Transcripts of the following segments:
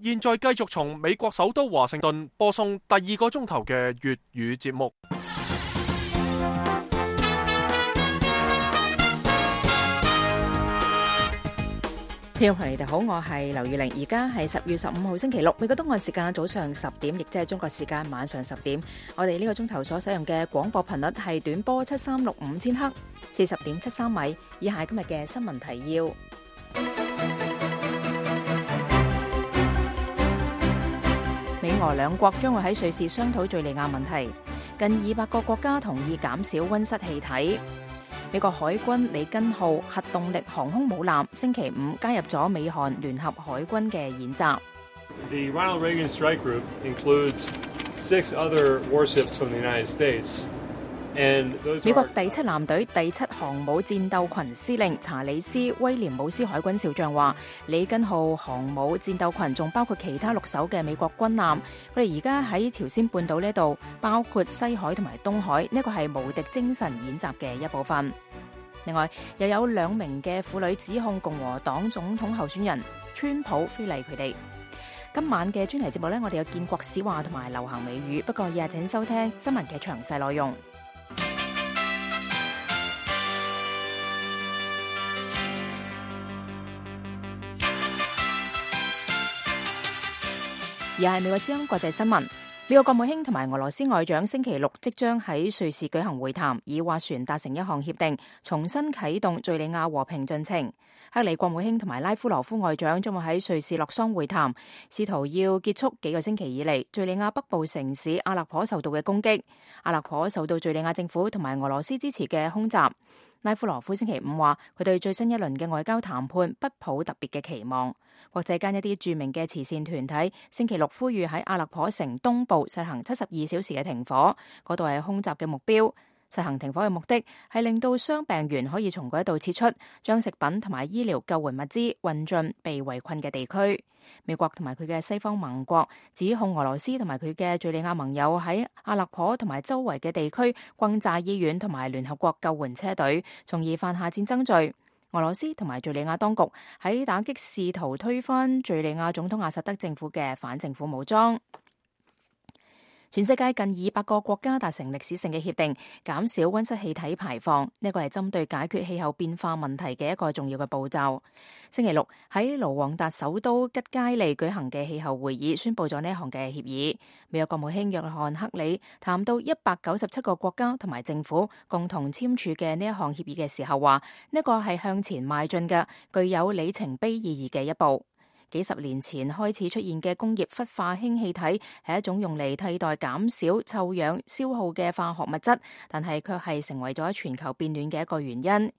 現在繼續從美國首都華盛頓播送第2個鐘頭嘅粵語節目。聽眾朋友你哋好，我係劉玉玲，而家係10月15號星期六，美國東岸時間早上10點，亦即係中國時間晚上10點。我哋呢個鐘頭所使用嘅廣播頻率係短波7365千赫，40.73米。以下今日嘅新聞提要。美俄兩國將會喺瑞士商討敘利亞問題。近200個國家同意減少溫室氣體。美國海軍里根號核動力航空母艦星期5加入咗美韓聯合海軍嘅演習。The Ronald Reagan Strike Group includes 6 other warships from the United States. 美國第7艦隊第7航母戰鬥群司令查理斯·威廉姆斯海軍少將話，里根號航母戰鬥群仲包括其他6艘嘅美國軍艦，佢哋而家喺朝鮮半島呢度，包括西海同埋東海，呢個係無敵精神演習嘅一部分。另外，又有2名嘅婦女指控共和黨總統候選人川普非禮佢哋。今晚嘅專題節目呢，我哋有建國史話同埋流行美語，不過以下請收聽新聞嘅詳細內容。而係美國之音國際新聞，美國國務卿同埋俄羅斯外長星期6即將喺瑞士舉行會談，以斡旋達成一項協定，重新啟動敘利亞和平進程。克里國務卿同埋拉夫羅夫外長將會喺瑞士洛桑會談，試圖要結束幾個星期以嚟敘利亞北部城市阿勒頗受到嘅攻擊。阿勒頗受到敘利亞政府同埋俄羅斯支持嘅空襲。拉夫羅夫星期5話，佢對最新一輪嘅外交談判不抱特別嘅期望。國際間一啲著名嘅慈善團體星期6呼籲喺阿勒頗城東部實行72小時嘅停火，嗰度係空襲嘅目標。實行停火嘅目的係令到傷病員可以從嗰度撤出，將食品同埋醫療救援物資運進被圍困嘅地區。美國同埋佢嘅西方盟國指控俄羅斯同埋佢嘅敘利亞盟友喺阿勒頗同埋周圍嘅地區轟炸醫院同埋聯合國救援車隊，從而犯下戰爭罪。俄羅斯同埋敘利亞當局喺打擊試圖推翻敘利亞總統阿薩德政府嘅反政府武裝。全世界近200個國家達成歷史性嘅協定，減少溫室氣體排放，呢個係針對解決氣候變化問題嘅一個重要嘅步驟。星期6喺盧旺達首都吉佳利舉行嘅氣候會議宣布咗呢一項嘅協議。美國國務卿約翰克里談到197個國家同埋政府共同簽署嘅呢一項協議嘅時候話，呢個係向前邁進嘅具有里程碑意義嘅一步。幾十年前開始出現嘅工業氟化氫氣體係一種用嚟替代減少臭氧消耗嘅化學物質，但係卻係成為咗全球變暖嘅一個原因。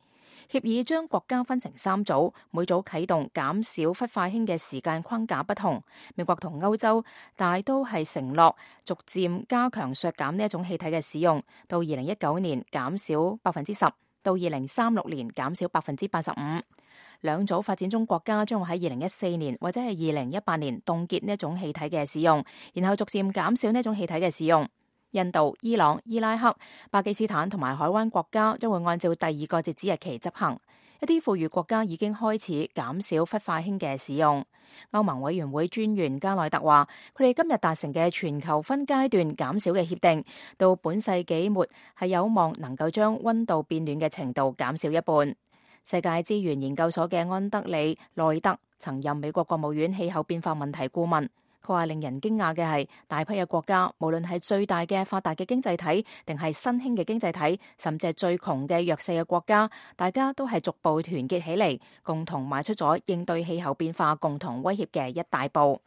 協議將國家分成3組，每組啟動減少氟化氫嘅時間框架不同。美國同歐洲大都係承諾逐漸加強削減呢一種氣體嘅使用，到2019年減少10%，到2036年減少85%。2組發展中國家將會喺2014年或者係2018年凍結呢一種氣體嘅使用，然後逐漸減少呢一種氣體嘅使用。印度、伊朗、伊拉克、巴基斯坦同埋海灣國家將會按照第2個截止日期執行。一啲富裕國家已經開始減少氟化氫嘅使用。歐盟委員會專員加內特話，佢哋今日達成嘅全球分階段減少嘅協定，到本世紀末係有望能夠將溫度變暖嘅程度減少一半。世界資源研究所嘅安德里內特曾任美國國務院氣候變化問題顧問，佢話令人驚訝嘅係大批嘅國家，無論係最大嘅發達嘅經濟體，定係新興嘅經濟體，甚至係最窮嘅弱勢嘅國家，大家都係逐步團結起嚟，共同邁出咗應對氣候變化共同威脅嘅一大步。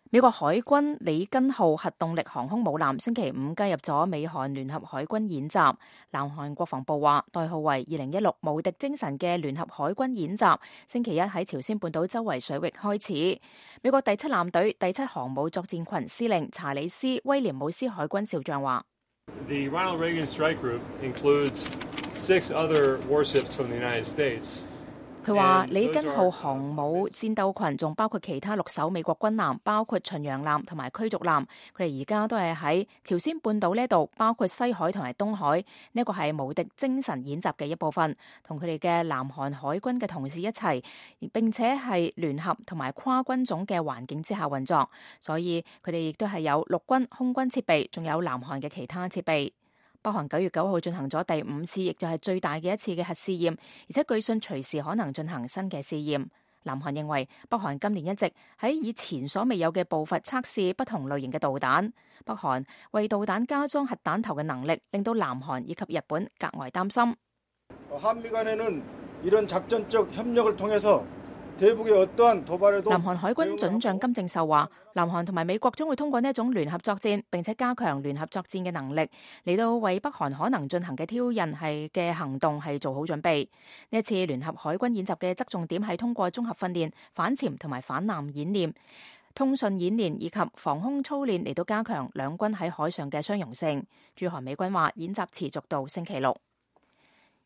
美國海軍里根號核動力航空母艦星期5加入咗美韓聯合海軍演習。南韓國防部話，代號為2016無敵精神嘅聯合海軍演習，星期1喺朝鮮半島周圍水域開始。美國第7艦隊第7航母作戰群司令查理斯·威廉姆斯海軍少將話， The Ronald Reagan Strike Group includes 6 other warships from the United States. 佢話里根號航母戰鬥群仲包括其他6艘美國軍艦，包括巡洋艦同埋驅逐艦。佢哋而家都係喺朝鮮半島呢度，包括西海同埋東海。呢個係無敵精神演習嘅一部分，同佢哋嘅南韓海軍嘅同事一齊，並且係聯合同埋跨軍種嘅環境之下運作。所以佢哋亦都係有陸軍、空軍設備，仲有南韓嘅其他設備。北韓9月9號進行咗第5次，亦就係最大嘅一次嘅核試驗，而且據信隨時可能進行新嘅試驗。南韓認為北韓今年一直喺以前所未有嘅步伐測試不同類型嘅導彈。北韓為導彈加裝核彈頭嘅能力，令到南韓以及日本格外擔心。南韓海軍准將金正秀話，南韓同埋美國將會通過呢一種聯合作戰，並且加強聯合作戰嘅能力，嚟到為北韓可能進行嘅挑釁嘅行動係做好準備。呢一次聯合海軍演習嘅側重點係通過綜合訓練、反潛同埋反艦演練、通訊演練以及防空操練嚟到加強兩軍喺海上嘅相容性。駐韓美軍話，演習持續到星期六。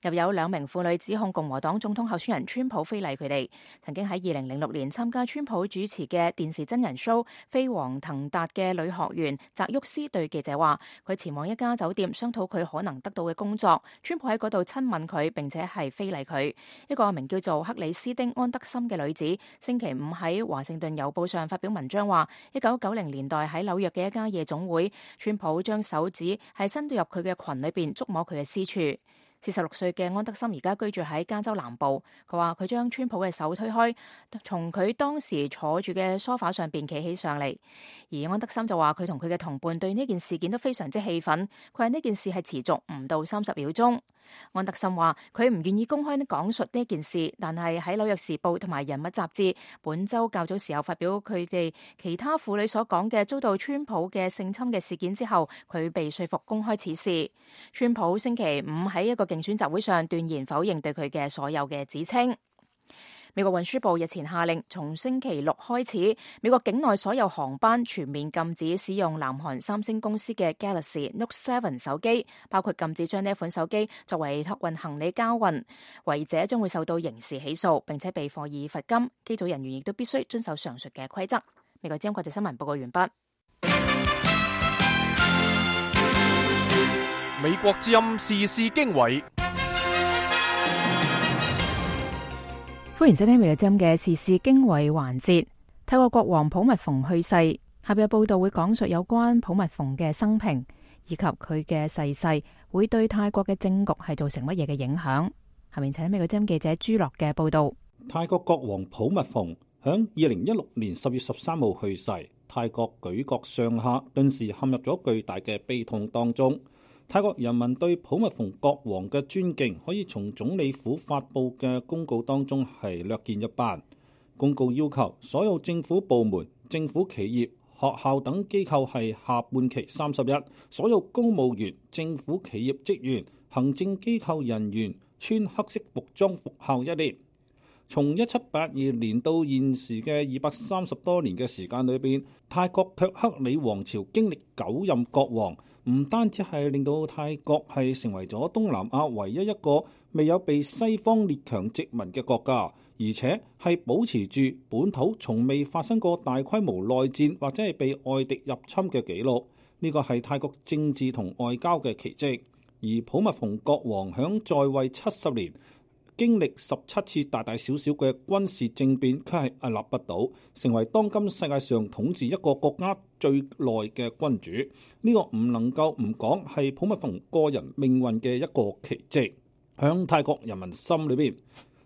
又有2名婦女指控共和黨總統候選人川普非禮佢哋。曾經喺2006年參加川普主持嘅電視真人 show《飛黃騰達》嘅女學員澤沃斯對記者話，佢前往一家酒店商討佢可能得到嘅工作，川普喺嗰度親吻佢，並且係非禮佢。一個名叫做克里斯丁安德森嘅女子星期5喺華盛頓郵報上發表文章話，1990年代喺紐約嘅一家夜總會，川普將手指係伸到入佢嘅裙裏邊觸摸佢嘅私處。46歲嘅安德森而家居住喺加州南部。佢話佢將川普嘅手推開，從佢當時坐住嘅梳化上邊企起上嚟。而安德森就話佢同佢嘅同伴對呢件事件都非常之氣憤。佢話呢件事係持續唔到30秒鐘。安德森話佢唔願意公開講述呢件事，但係喺紐約時報同埋人物雜誌本週較早時候發表佢哋其他婦女所講嘅遭到川普嘅性侵嘅事件之後，佢被說服公開此事。川普星期5喺一個競選集會上斷言否認對佢嘅所有嘅指稱。美國運輸部日前下令，從星期六開始，美國境內所有航班全面禁止使用南韓三星公司嘅 Galaxy Note 7手機，包括禁止將呢一款手機作為託運行李交運，違者將會受到刑事起訴，並且被課以罰金。機組人員亦都必須遵守上述嘅規則。美國之音國際新聞報告完畢。美國之音時事經緯。歡迎收聽美國之音嘅時事經緯環節。泰國國王普密蓬去世，下邊嘅報道會講述有關普密蓬嘅生平，以及佢嘅逝世會對泰國嘅政局係造成乜嘢嘅影響。下面請美國之音記者朱樂嘅報道。泰國國王普密蓬響2016年10月13號去世，泰國舉國上下頓時陷入咗巨大嘅悲痛當中。泰國人民對普密蓬國王嘅尊敬，可以從總理府發布嘅公告當中係略見一斑。公告要求所有政府部門、政府企業、學校等機構係下半旗30日，所有公務員、政府企業職員、行政機構人員穿黑色服裝復校1年。從1782年到現時嘅230多年嘅時間裏邊，泰國卻克里王朝經歷9任國王。唔單止係令到泰國係成為咗東南亞唯一一個未有被西方列強殖民嘅國家，而且係保持住本土從未發生過大規模內戰或者係被外敵入侵嘅記錄。呢個係泰國政治同外交嘅奇蹟。而普密蓬國王響在位70年，經歷17次大大小小嘅軍事政變，卻係屹立不倒，成為當今世界上統治一個國家最耐嘅君主。呢個唔能夠唔講係普密蓬個人命運嘅一個奇蹟。響泰國人民心裏邊，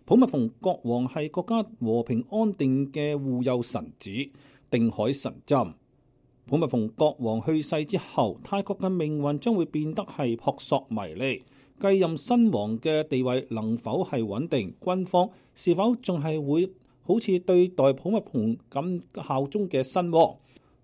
普密蓬國王係國家和平安定嘅護佑神子、定海神針。普密蓬國王去世之後，泰國嘅命運將會變得係撲朔迷離。繼任新王嘅地位能否係穩定？軍方是否仲係會好似對待普密蓬咁效忠嘅新王？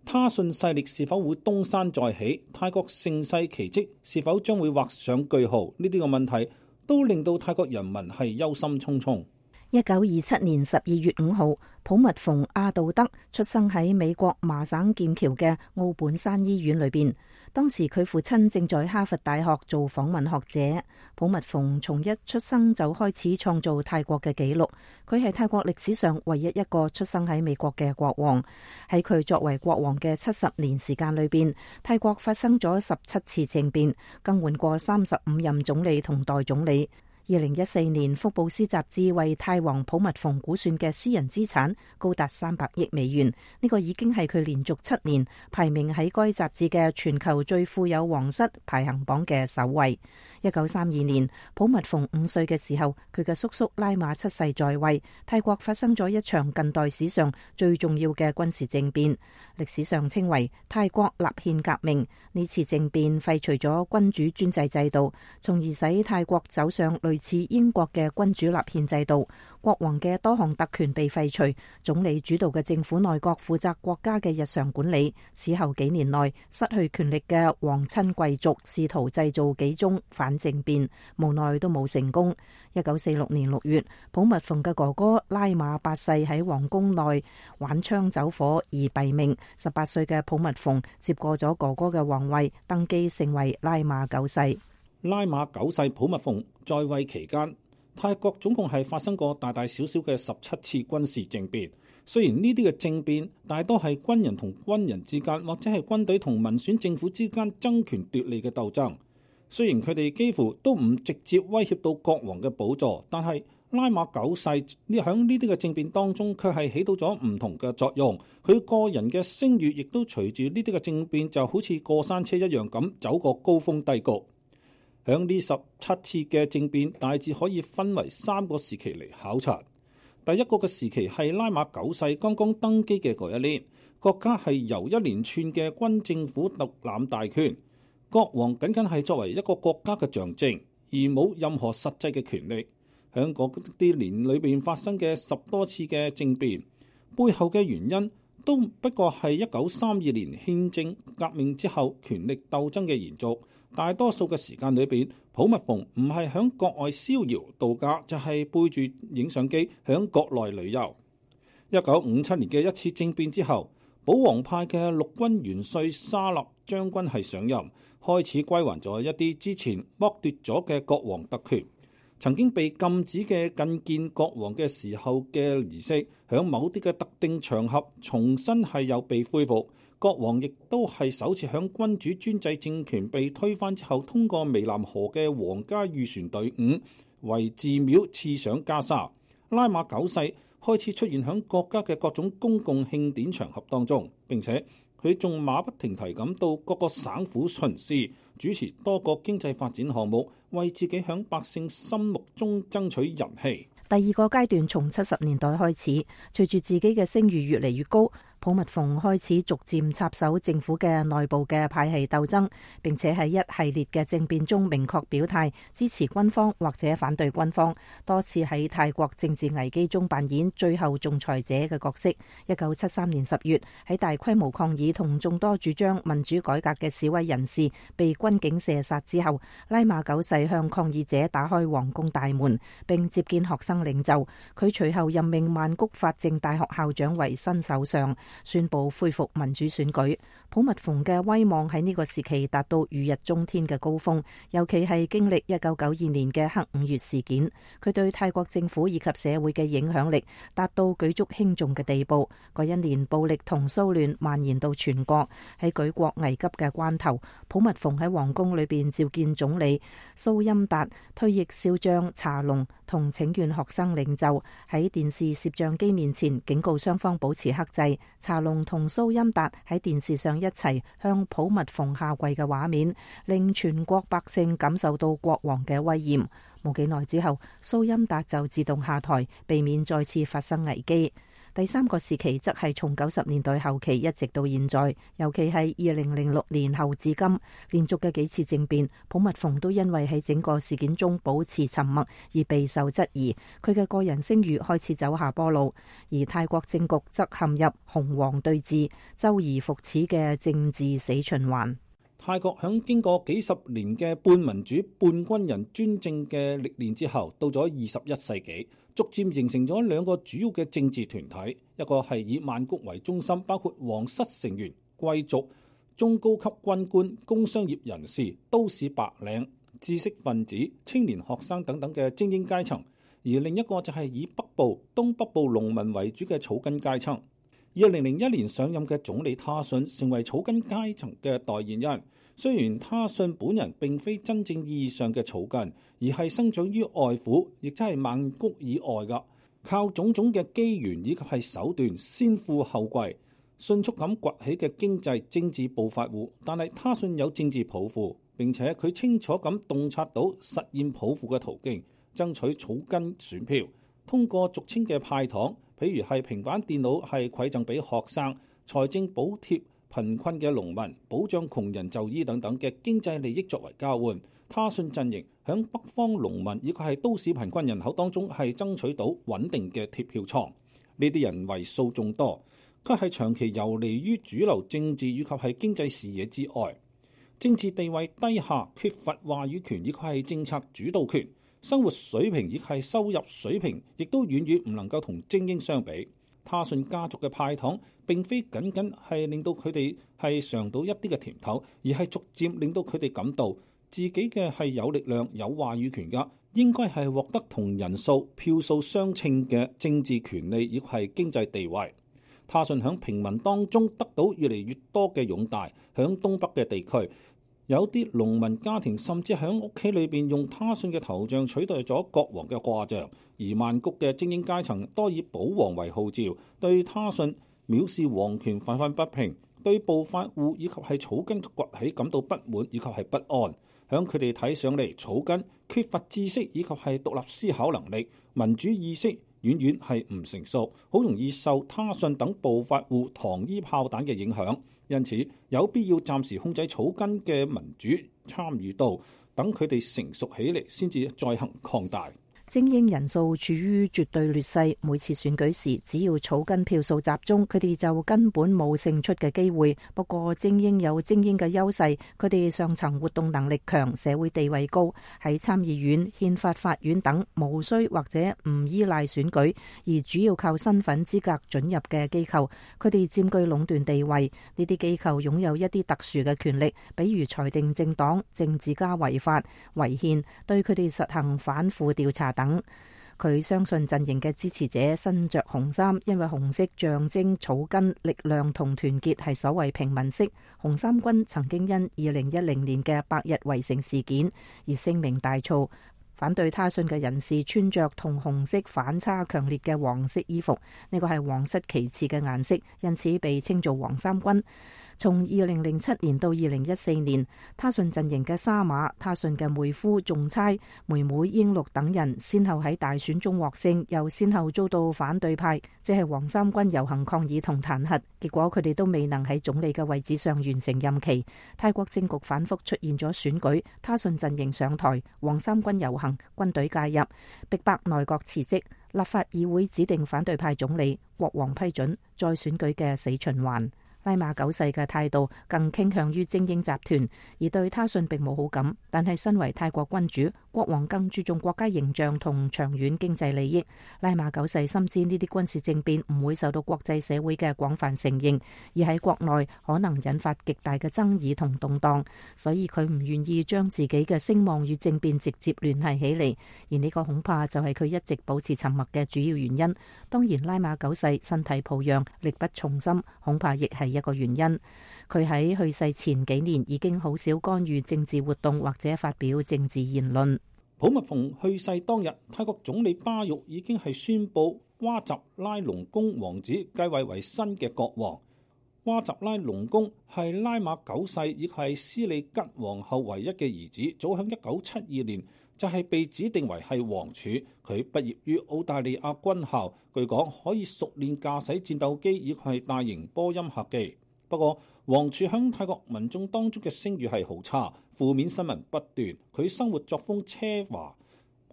他信勢力是否會東山再起？泰國盛世奇蹟是否將會畫上句號？呢啲個問題都令到泰國人民係憂心忡忡。1927年12月5號，普密蓬阿道德出生喺美國麻省劍橋嘅奧本山醫院裏邊。當時佢父親正在哈佛大學做訪問學者。普密蓬從一出生就開始創造泰國嘅紀錄。佢係泰國歷史上唯一一個出生喺美國嘅國王。喺佢作為國王嘅70年時間裏邊，泰國發生咗17次政變，更換過35任總理同代總理。2014年，福布斯雜誌為泰王普密蓬估算嘅私人資產高達300億美元，呢個已經係佢連續7年排名喺該雜誌嘅全球最富有皇室排行榜嘅首位。1932年，普密蓬5歲嘅時候，佢嘅叔叔拉馬7世在位，泰國發生咗一場近代史上最重要嘅軍事政變，歷史上稱為泰國立憲革命。呢次政變廢除咗君主專制制度，從而使泰國走上類似英國嘅君主立憲制度。國王嘅多項特權被廢除，總理主導嘅政府內閣負責國家嘅日常管理。此後幾年內，失去權力嘅皇親貴族試圖製造幾宗反政變，無奈都冇成功。1946年6月，普密蓬嘅哥哥拉馬8世喺皇宮內玩槍走火而斃命。18歲嘅普密蓬接過咗哥哥嘅皇位，登基成為拉馬9世。拉馬9世普密蓬在位期間，泰國總共係發生過大大小小嘅17次軍事政變。雖然呢啲嘅政變大多係軍人同軍人之間，或者係軍隊同民選政府之間爭權奪利嘅鬥爭。雖然佢哋幾乎都唔直接威脅到國王嘅寶座，但係拉馬9世喺呢啲嘅政變當中，卻係起到咗唔同嘅作用。佢個人嘅聲譽亦都隨住呢啲嘅政變，就好似過山車一樣咁走過高峰低谷。響呢17次嘅政變，大致可以分為3個時期嚟考察。第一個嘅時期係拉馬9世剛剛登基嘅嗰一年，國家係由一連串嘅軍政府獨攬大權，國王僅僅係作為一個國家嘅象徵，而冇任何實際嘅權力。響嗰啲年裏邊發生嘅10多次嘅政變，背後嘅原因都不過係1932年憲政革命之後權力鬥爭嘅延續。大多數嘅時間裏邊，普密蓬唔係響國外逍遙度假，就係背住影相機響國內旅遊。1957年嘅一次政變之後，保皇派嘅陸軍元帥沙勒將軍係上任，開始歸還咗一啲之前剝奪咗嘅國王特權。曾經被禁止嘅覲見國王嘅時候嘅儀式，響某啲嘅特定場合重新係有被恢復。國王亦都係首次響君主專制政權被推翻之後，通過湄南河嘅皇家御船隊伍為寺廟賜上袈裟。拉馬9世開始出現響國家嘅各種公共慶典場合當中，並且佢仲馬不停蹄咁到各個省府巡視，主持多個經濟發展項目，為自己響百姓心目中爭取人氣。第二個階段從70年代開始，隨住自己嘅聲譽越嚟越高，普密蓬開始逐漸插手政府嘅內部嘅派系鬥爭，並且喺一系列嘅政變中明確表態支持軍方或者反對軍方，多次喺泰國政治危機中扮演最後仲裁者嘅角色。1973年10月，喺大規模抗議同眾多主張民主改革嘅示威人士被軍警射殺之後，拉馬9世向抗議者打開皇宮大門，並接見學生領袖。佢隨後任命曼谷法政大學校長為新首相，宣布恢復民主選舉。普密蓬嘅威望喺呢個時期達到如日中天嘅高峰，尤其係經歷1992年嘅黑5月事件，佢對泰國政府以及社會嘅影響力達到舉足輕重嘅地步。嗰一年暴力同騷亂蔓延到全國，喺舉國危急嘅關頭，普密蓬喺皇宮裏邊召見總理蘇欽達、退役少將查龍同請願學生領袖，喺電視攝像機面前警告雙方保持克制。查龍同蘇欽達喺電視上一齊向普密蓬下跪嘅畫面，令全國百姓感受到國王嘅威嚴。冇幾耐之後，蘇欽達就自動下台，避免再次發生危機。第三個時期則係從90年代後期一直到現在，尤其係2006年後至今，連續嘅幾次政變，普密蓬都因為喺整個事件中保持沉默而備受質疑，佢嘅個人聲譽開始走下坡路，而泰國政局則陷入紅黃對峙、周而復始嘅政治死循環。泰國響經過幾十年嘅半民主半軍人專政嘅歷練之後，到咗21世紀，逐漸形成咗兩個主要嘅政治團體，一個係以曼谷為中心，包括皇室成員、貴族、中高級軍官、工商業人士、都市白領、知識分子、青年學生等等嘅精英階層，而另一個就係以北部、東北部農民為主嘅草根階層。2001年上任嘅總理他信成為草根階層嘅代言人。雖然他信本人並非真正意義上嘅草根，而係生長於外府，亦即係曼谷以外㗎，靠種種嘅機緣以及係手段先富後貴，迅速咁崛起嘅經濟政治暴發戶。但係他信有政治抱負，並且佢清楚咁洞察到實現抱負嘅途徑，爭取草根選票，通過俗稱嘅派糖，譬如係平板電腦係饋贈俾學生，財政補貼貧困嘅農民，保障窮人就醫等等嘅經濟利益作為交換。他信陣營響北方農民以及係都市貧困人口當中係爭取到穩定嘅鐵票倉。呢啲人為數眾多，佢係長期游離於主流政治以及係經濟視野之外，政治地位低下，缺乏話語權以及係政策主導權。生活水平亦係收入水平，亦都遠遠唔能夠同精英相比。他信家族嘅派糖並非僅僅係令到佢哋係嘗到一啲嘅甜頭，而係逐漸令到佢哋感到自己嘅係有力量、有話語權㗎，應該係獲得同人數票數相稱嘅政治權利，亦係經濟地位。他信響平民當中得到越嚟越多嘅擁戴，響東北嘅地區，有啲農民家庭甚至喺屋企裏邊用他信嘅頭像取代咗國王嘅掛像，而曼谷嘅精英階層多以保皇為號召，對他信藐視皇權憤憤不平，對暴發戶以及係草根崛起感到不滿以及係不安。響佢哋睇上嚟，草根缺乏知識以及係獨立思考能力，民主意識遠遠係唔成熟，好容易受他信等暴發戶糖衣炮彈嘅影響。因此有必要暫時控制草根嘅民主參與度，等佢哋成熟起嚟先至再行擴大。精英人數處於絕對劣勢，每次選舉時，只要草根票數集中，佢哋就根本冇勝出嘅機會。不過精英有精英嘅優勢，佢哋上層活動能力強，社會地位高，喺參議院、憲法法院等無需或者唔依賴選舉，而主要靠身份資格准入嘅機構，佢哋佔據壟斷地位。呢啲機構擁有一啲特殊嘅權力，比如裁定政黨、政治家違法、違憲，對佢哋實行反腐調查等。佢相信陣營嘅支持者身着紅衫，因為紅色象徵草根力量同團結，係所謂平民色。紅衫軍曾經因2010年嘅百日圍城事件而聲名大噪。反對他信嘅人士穿着同紅色反差強烈嘅黃色衣服，呢個係皇室旗幟嘅顏色，因此被稱做黃衫軍。從2007年到2014年，他信陣營嘅沙馬、他信嘅妹夫仲差、妹妹英祿等人，先後喺大選中獲勝，又先後遭到反對派，即係黃衫軍遊行抗議同彈劾，結果佢哋都未能喺總理嘅位置上完成任期。泰國政局反覆出現咗選舉，他信陣營上台，黃衫軍遊行，軍隊介入，逼迫內閣辭職，立法議會指定反對派總理，國王批准，再選舉嘅死循環。拉馬九世嘅態度更傾向於精英集團，而對他信並冇好感。但係身為泰國君主，國王更注重國家形象同長遠經濟利益。拉馬九世深知呢啲軍事政變唔會受到國際社會嘅廣泛承認，而喺國內可能引發極大嘅爭議同動盪，所以佢唔願意將自己嘅聲望與政變直接聯繫起嚟。而呢個恐怕就係佢一直保持沉默嘅主要原因。當然，拉馬九世身體抱恙，力不從心，恐怕亦係一個原因。佢喺去世前幾年已經好少干預政治活動或者發表政治言論。普密蓬去世當日，泰國總理巴育已經係宣布哇集拉隆功王子繼位為新嘅國王。哇集拉隆功係拉馬九世亦係斯里吉皇后唯一嘅兒子，早喺1972年就係被指定為係王儲。佢畢業於澳大利亞軍校，據講可以熟練駕駛戰鬥機以及係大型波音客機。不過王儲喺泰國民眾當中嘅聲譽係好差，負面新聞不斷。佢生活作風奢華，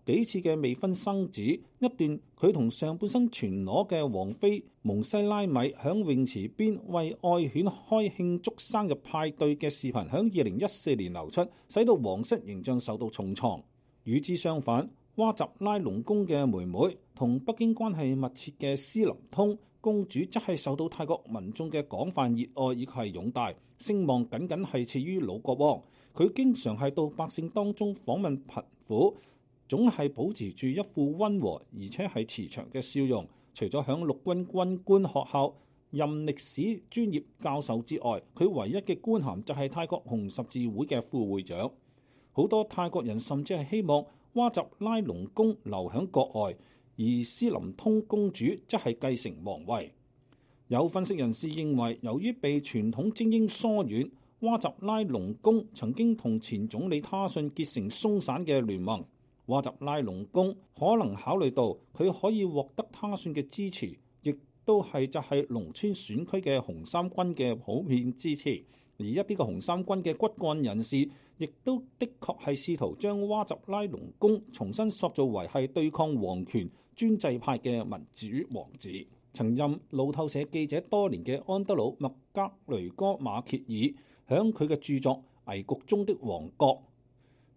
幾次嘅未婚生子，一段佢同上半身全裸嘅王妃蒙西拉米響泳池邊為愛犬開慶祝生日派對嘅視頻，響2014年流出，使到皇室形象受到重創。與之相反，哇集拉隆功嘅妹妹同北京關係密切嘅斯林通公主，則係受到泰國民眾嘅廣泛熱愛以及係擁戴，聲望僅僅係次於老國王。佢經常係到百姓當中訪問貧苦，總係保持住一副溫和而且係慈祥嘅笑容。除咗響陸軍軍官學校任歷史專業教授之外，佢唯一嘅官銜就係泰國紅十字會嘅副會長。好多泰國人甚至係希望哇集拉隆功留響國外，而斯林通公主則係繼承皇位。有分析人士認為，由於被傳統精英疏遠，哇集拉隆功曾經同前總理他信結成鬆散嘅聯盟。哇集拉隆功可能考慮到佢可以獲得他信嘅支持，亦都係就係農村選區嘅紅衫軍嘅普遍支持。而一啲嘅紅衫軍嘅骨幹人士，亦都的確係試圖將哇集拉隆功重新塑造為係對抗皇權專制派嘅民主王子。曾任路透社記者多年嘅安德魯麥格雷戈馬歇爾，響佢嘅著作《危局中的王國》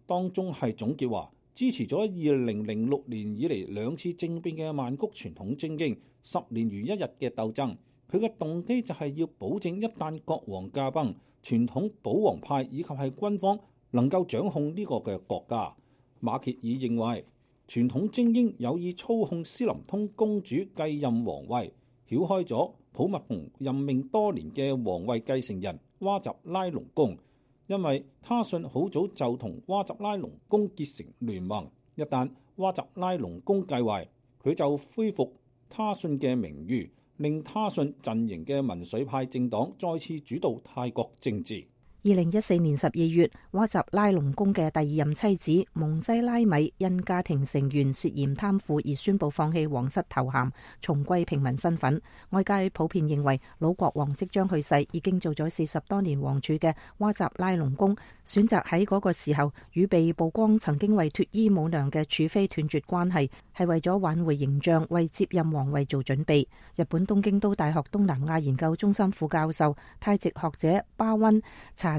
當中係總結話，支持咗2006年以嚟2次政變嘅曼谷傳統精英10年如一日嘅鬥爭。佢嘅動機就係要保證一旦國王駕崩，傳統保皇派以及係軍方能夠掌控呢個嘅國家。馬歇爾認為，傳統精英有意操控斯林通公主繼任皇位，繞開咗普密蓬任命多年嘅皇位繼承人哇集拉隆功，因為他信好早就同哇集拉隆功結成聯盟。一旦哇集拉隆功繼位，佢就恢復他信嘅名譽，令他信陣營嘅民粹派政黨再次主導泰國政治。2014年12月，哇集拉隆功嘅第二任妻子蒙西拉米因家庭成員涉嫌貪腐而宣布放棄皇室頭銜，重歸平民身份。外界普遍認為老國王即將去世，已經做咗40多年王儲嘅哇集拉隆功選擇喺嗰個時候與被曝光曾經為脫衣舞娘嘅儲妃斷絕關係，係為咗挽回形象，為接任皇位做準備。日本東京都大學東南亞研究中心副教授泰籍學者巴溫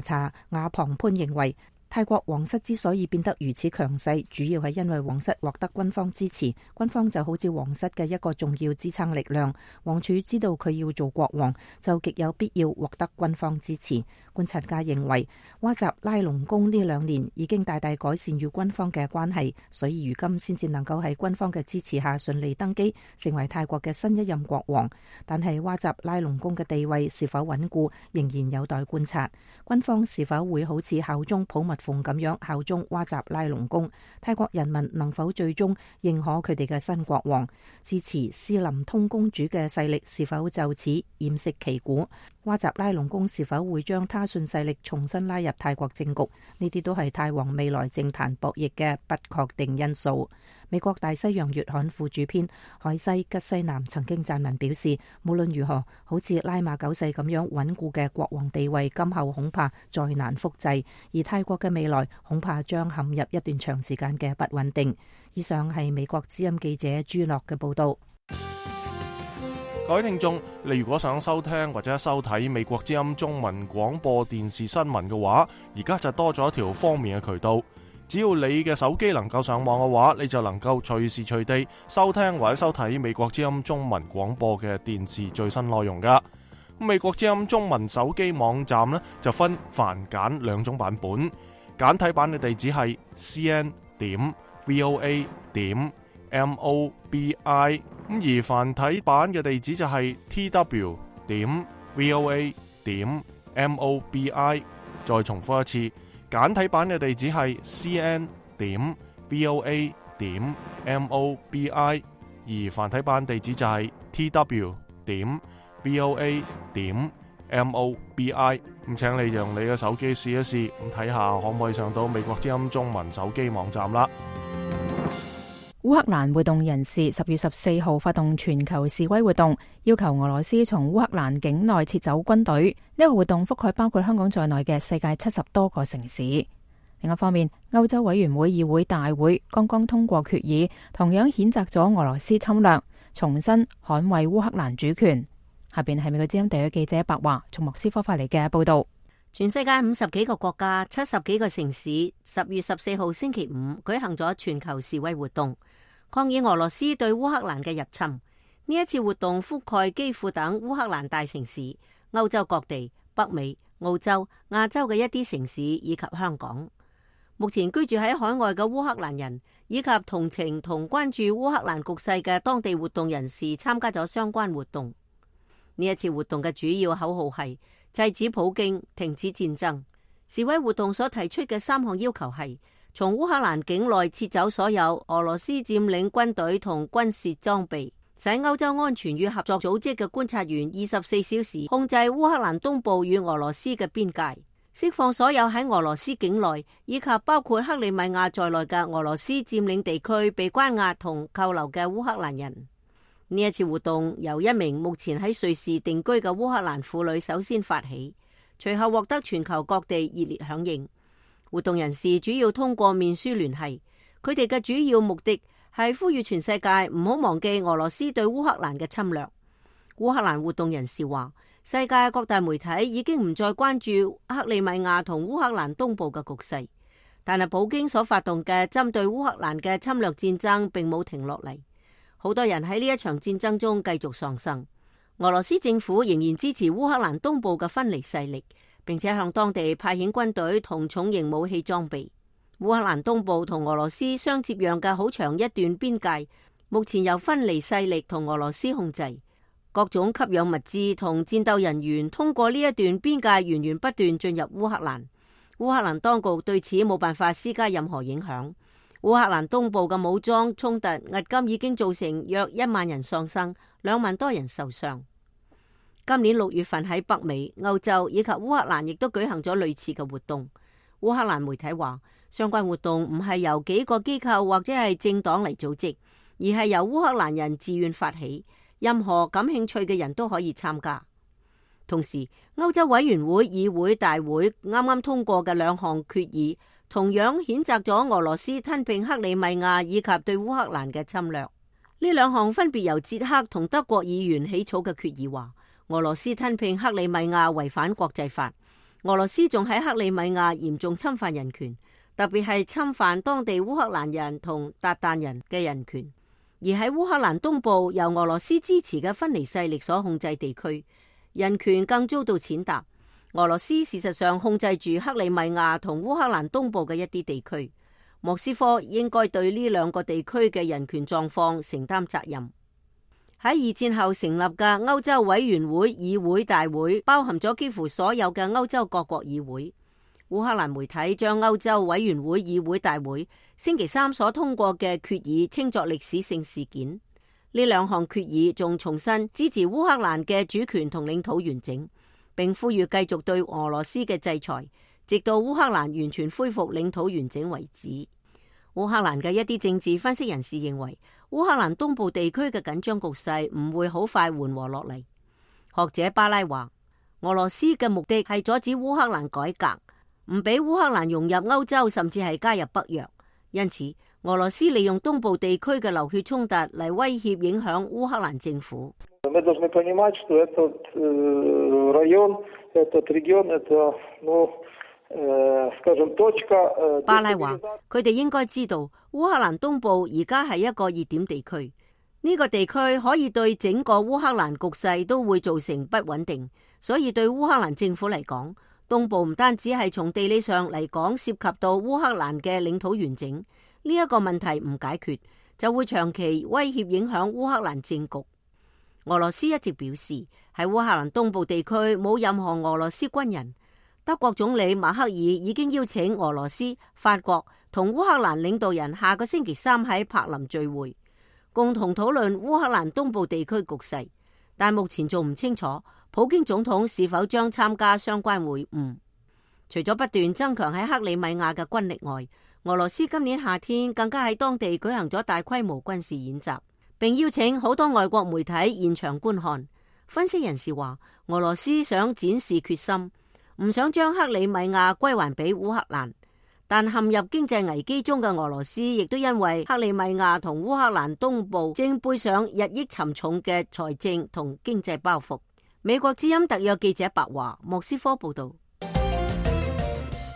查亞龐潘認為，泰國皇室之所以變得如此強勢，主要係因為皇室獲得軍方支持，軍方就好似皇室嘅一個重要支撐力量。王儲知道佢要做國王，就極有必要獲得軍方支持。觀察家認為，哇集拉隆功呢2年已經大大改善與軍方嘅關係，所以如今先至能夠喺軍方嘅支持下順利登基，成為泰國嘅新一任國王。但係哇集拉隆功嘅地位是否穩固，仍然有待觀察。軍方是否會好似效忠普密蓬咁樣效忠哇集拉隆功？泰國人民能否最終認可佢哋嘅新國王？支持斯林通公主嘅勢力是否就此偃旗息鼓？哇集拉隆功是否會將他信勢力重新拉入泰國政局？呢啲都係泰皇未來政壇博弈嘅不確定因素。美國大西洋月刊副主編海西吉西南曾經撰文表示，無論如何，好似拉瑪九世咁樣穩固嘅國王地位，今後恐怕再難複製，而泰國嘅未來恐怕將陷入一段長時間嘅不穩定。以上係美國之音記者朱樂嘅報道。各位聽眾，你如果想收聽或者收睇美國之音中文廣播電視新聞嘅話，而家就多咗一條方便嘅渠道。只要你嘅手機能夠上網嘅話，你就能夠隨時隨地收聽或者收睇美國之音中文廣播嘅電視最新內容噶。美國之音中文手機網站呢，就分繁簡2種版本，簡體版嘅地址係 cn.voa.mobi， 而繁體版嘅地址就係 tw.voa.mobi。 再重複一次，簡體版嘅地址係 cn.voa.mobi， 而繁體版地址就係 tw.voa.mobi。 咁請你用你嘅手機試一試，咁睇下可唔可以上到美國之音中文手機網站啦。烏克蘭活動人士10月14號發動全球示威活動，要求俄羅斯從烏克蘭境內撤走軍隊。呢個活動覆蓋包括香港在內嘅世界70多個城市。另一方面，歐洲委員會議會大會剛剛通過決議，同樣譴責咗俄羅斯侵略，重新捍衛烏克蘭主權。下邊係美國之音地區記者白華從莫斯科發嚟嘅報道。全世界50幾個國家、70幾個城市10月14號星期五舉行咗全球示威活動，抗議俄羅斯對烏克蘭嘅入侵。呢一次活動覆蓋基輔等烏克蘭大城市、歐洲各地、北美、澳洲、亞洲嘅一啲城市以及香港。目前居住喺海外嘅烏克蘭人以及同情同關注烏克蘭局勢嘅當地活動人士參加咗相關活動。呢一次活動嘅主要口號係制止普京、停止戰爭。示威活動所提出嘅3項要求係：從烏克蘭境內撤走所有俄羅斯佔領軍隊同軍事裝備，使歐洲安全與合作組織嘅觀察員24小時控制烏克蘭東部與俄羅斯嘅邊界，釋放所有喺俄羅斯境內以及包括克里米亞在內嘅俄羅斯佔領地區被關押同扣留嘅烏克蘭人。呢一次活動由一名目前喺瑞士定居嘅烏克蘭婦女首先發起，隨後獲得全球各地熱烈響應。活動人士主要通過面書聯繫，佢哋嘅主要目的係呼籲全世界唔好忘記俄羅斯對烏克蘭嘅侵略。烏克蘭活動人士話，世界各大媒體已經唔再關注克里米亞同烏克蘭東部嘅局勢，但係普京所發動嘅針對烏克蘭嘅侵略戰爭並冇停落嚟。好多人喺呢一場戰爭中繼續喪生。俄羅斯政府仍然支持烏克蘭東部嘅分離勢力，並且向當地派遣軍隊同重型武器裝備。烏克蘭東部同俄羅斯相接壤嘅好長一段邊界，目前由分離勢力同俄羅斯控制。各種給養物資同戰鬥人員通過呢一段邊界源源不斷進入烏克蘭。烏克蘭當局對此冇辦法施加任何影響。烏克蘭東部嘅武裝衝突迄今已經造成約1萬人喪生，2萬多人受傷。今年6月份喺北美、歐洲以及烏克蘭亦都舉行咗類似嘅活動。烏克蘭媒體話，相關活動唔係由幾個機構或者係政黨嚟組織，而係由烏克蘭人自願發起，任何感興趣嘅人都可以參加。同時，歐洲委員會議會大會啱啱通過嘅2項決議，同樣譴責咗俄羅斯吞併克里米亞以及對烏克蘭嘅侵略。呢2項分別由捷克同德國議員起草嘅決議話，俄羅斯吞併克里米亞違反國際法，俄羅斯仲喺克里米亞嚴重侵犯人權，特別係侵犯當地烏克蘭人同韃靼人嘅人權。而喺烏克蘭東部由俄羅斯支持嘅分離勢力所控制地區，人權更遭到踐踏。俄羅斯事實上控制住克里米亞同烏克蘭東部嘅一啲地區，莫斯科應該對呢2個地區嘅人權狀況承擔責任。喺2戰後成立嘅歐洲委員會議會大會，包含咗幾乎所有嘅歐洲各國議會。烏克蘭媒體將歐洲委員會議會大會星期3所通過嘅決議稱作歷史性事件。呢2項決議仲重申支持烏克蘭嘅主權同領土完整，並呼籲繼續對俄羅斯嘅制裁，直到烏克蘭完全恢復領土完整為止。烏克蘭嘅一啲政治分析人士認為，烏克蘭東部地區嘅緊張局勢唔會好快緩和落嚟。學者巴拉話，俄羅斯嘅目的係阻止烏克蘭改革，唔俾烏克蘭融入歐洲，甚至係加入北約。因此，俄羅斯利用東部地區嘅流血衝突嚟威脅影響烏克蘭政府。巴拉話，佢哋應該知道烏克蘭東部而家係一個熱點地區，呢個地區可以對整個烏克蘭局勢都會造成不穩定，所以對烏克蘭政府嚟講，東部唔單止係從地理上嚟講涉及到烏克蘭嘅領土完整，呢一個問題唔解決，就會長期威脅影響烏克蘭政局。俄羅斯一直表示喺烏克蘭東部地區冇任何俄羅斯軍人。德國總理默克爾已經邀請俄羅斯、法國同烏克蘭領導人下個星期3喺柏林聚會，共同討論烏克蘭東部地區局勢。但目前仲唔清楚普京總統是否將參加相關會晤。除咗不斷增強喺克里米亞嘅軍力外，俄羅斯今年夏天更加喺當地舉行咗大規模軍事演習，並邀請好多外國媒體現場觀看。分析人士話，俄羅斯想展示決心，唔想將克里米亞歸還俾烏克蘭，但陷入經濟危機中嘅俄羅斯亦都因為克里米亞同烏克蘭東部正背上日益沉重嘅財政同經濟包袱。美國之音特約記者白華，莫斯科報道。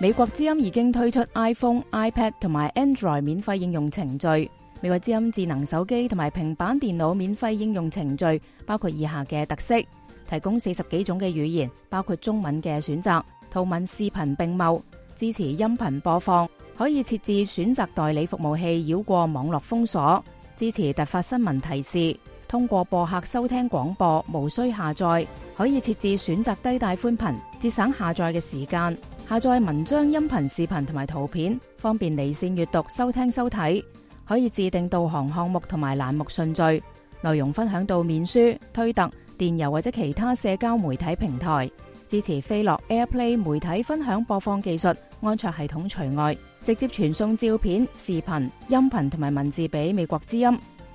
美國之音已經推出 iPhone、iPad 同埋 Android 免費應用程序。美國之音智能手機同埋平板電腦免費應用程序包括以下嘅特色：提供40幾種嘅語言，包括中文嘅選擇，圖文視頻並茂，支持音頻播放，可以設置選擇代理服務器繞過網絡封鎖，支持突發新聞提示，通過播客收聽廣播，無需下載，可以設置選擇低帶寬頻，節省下載嘅時間，下載文章、音頻、視頻同埋圖片，方便離線閱讀、收聽收睇。可以自定導航項目同埋欄目順序，內容分享到面書、推特、電郵或者其他社交媒體平台，支持飛樂 AirPlay 媒體分享播放技術，安卓系統除外，直接傳送照片、視頻、音頻同埋文字俾美國之音。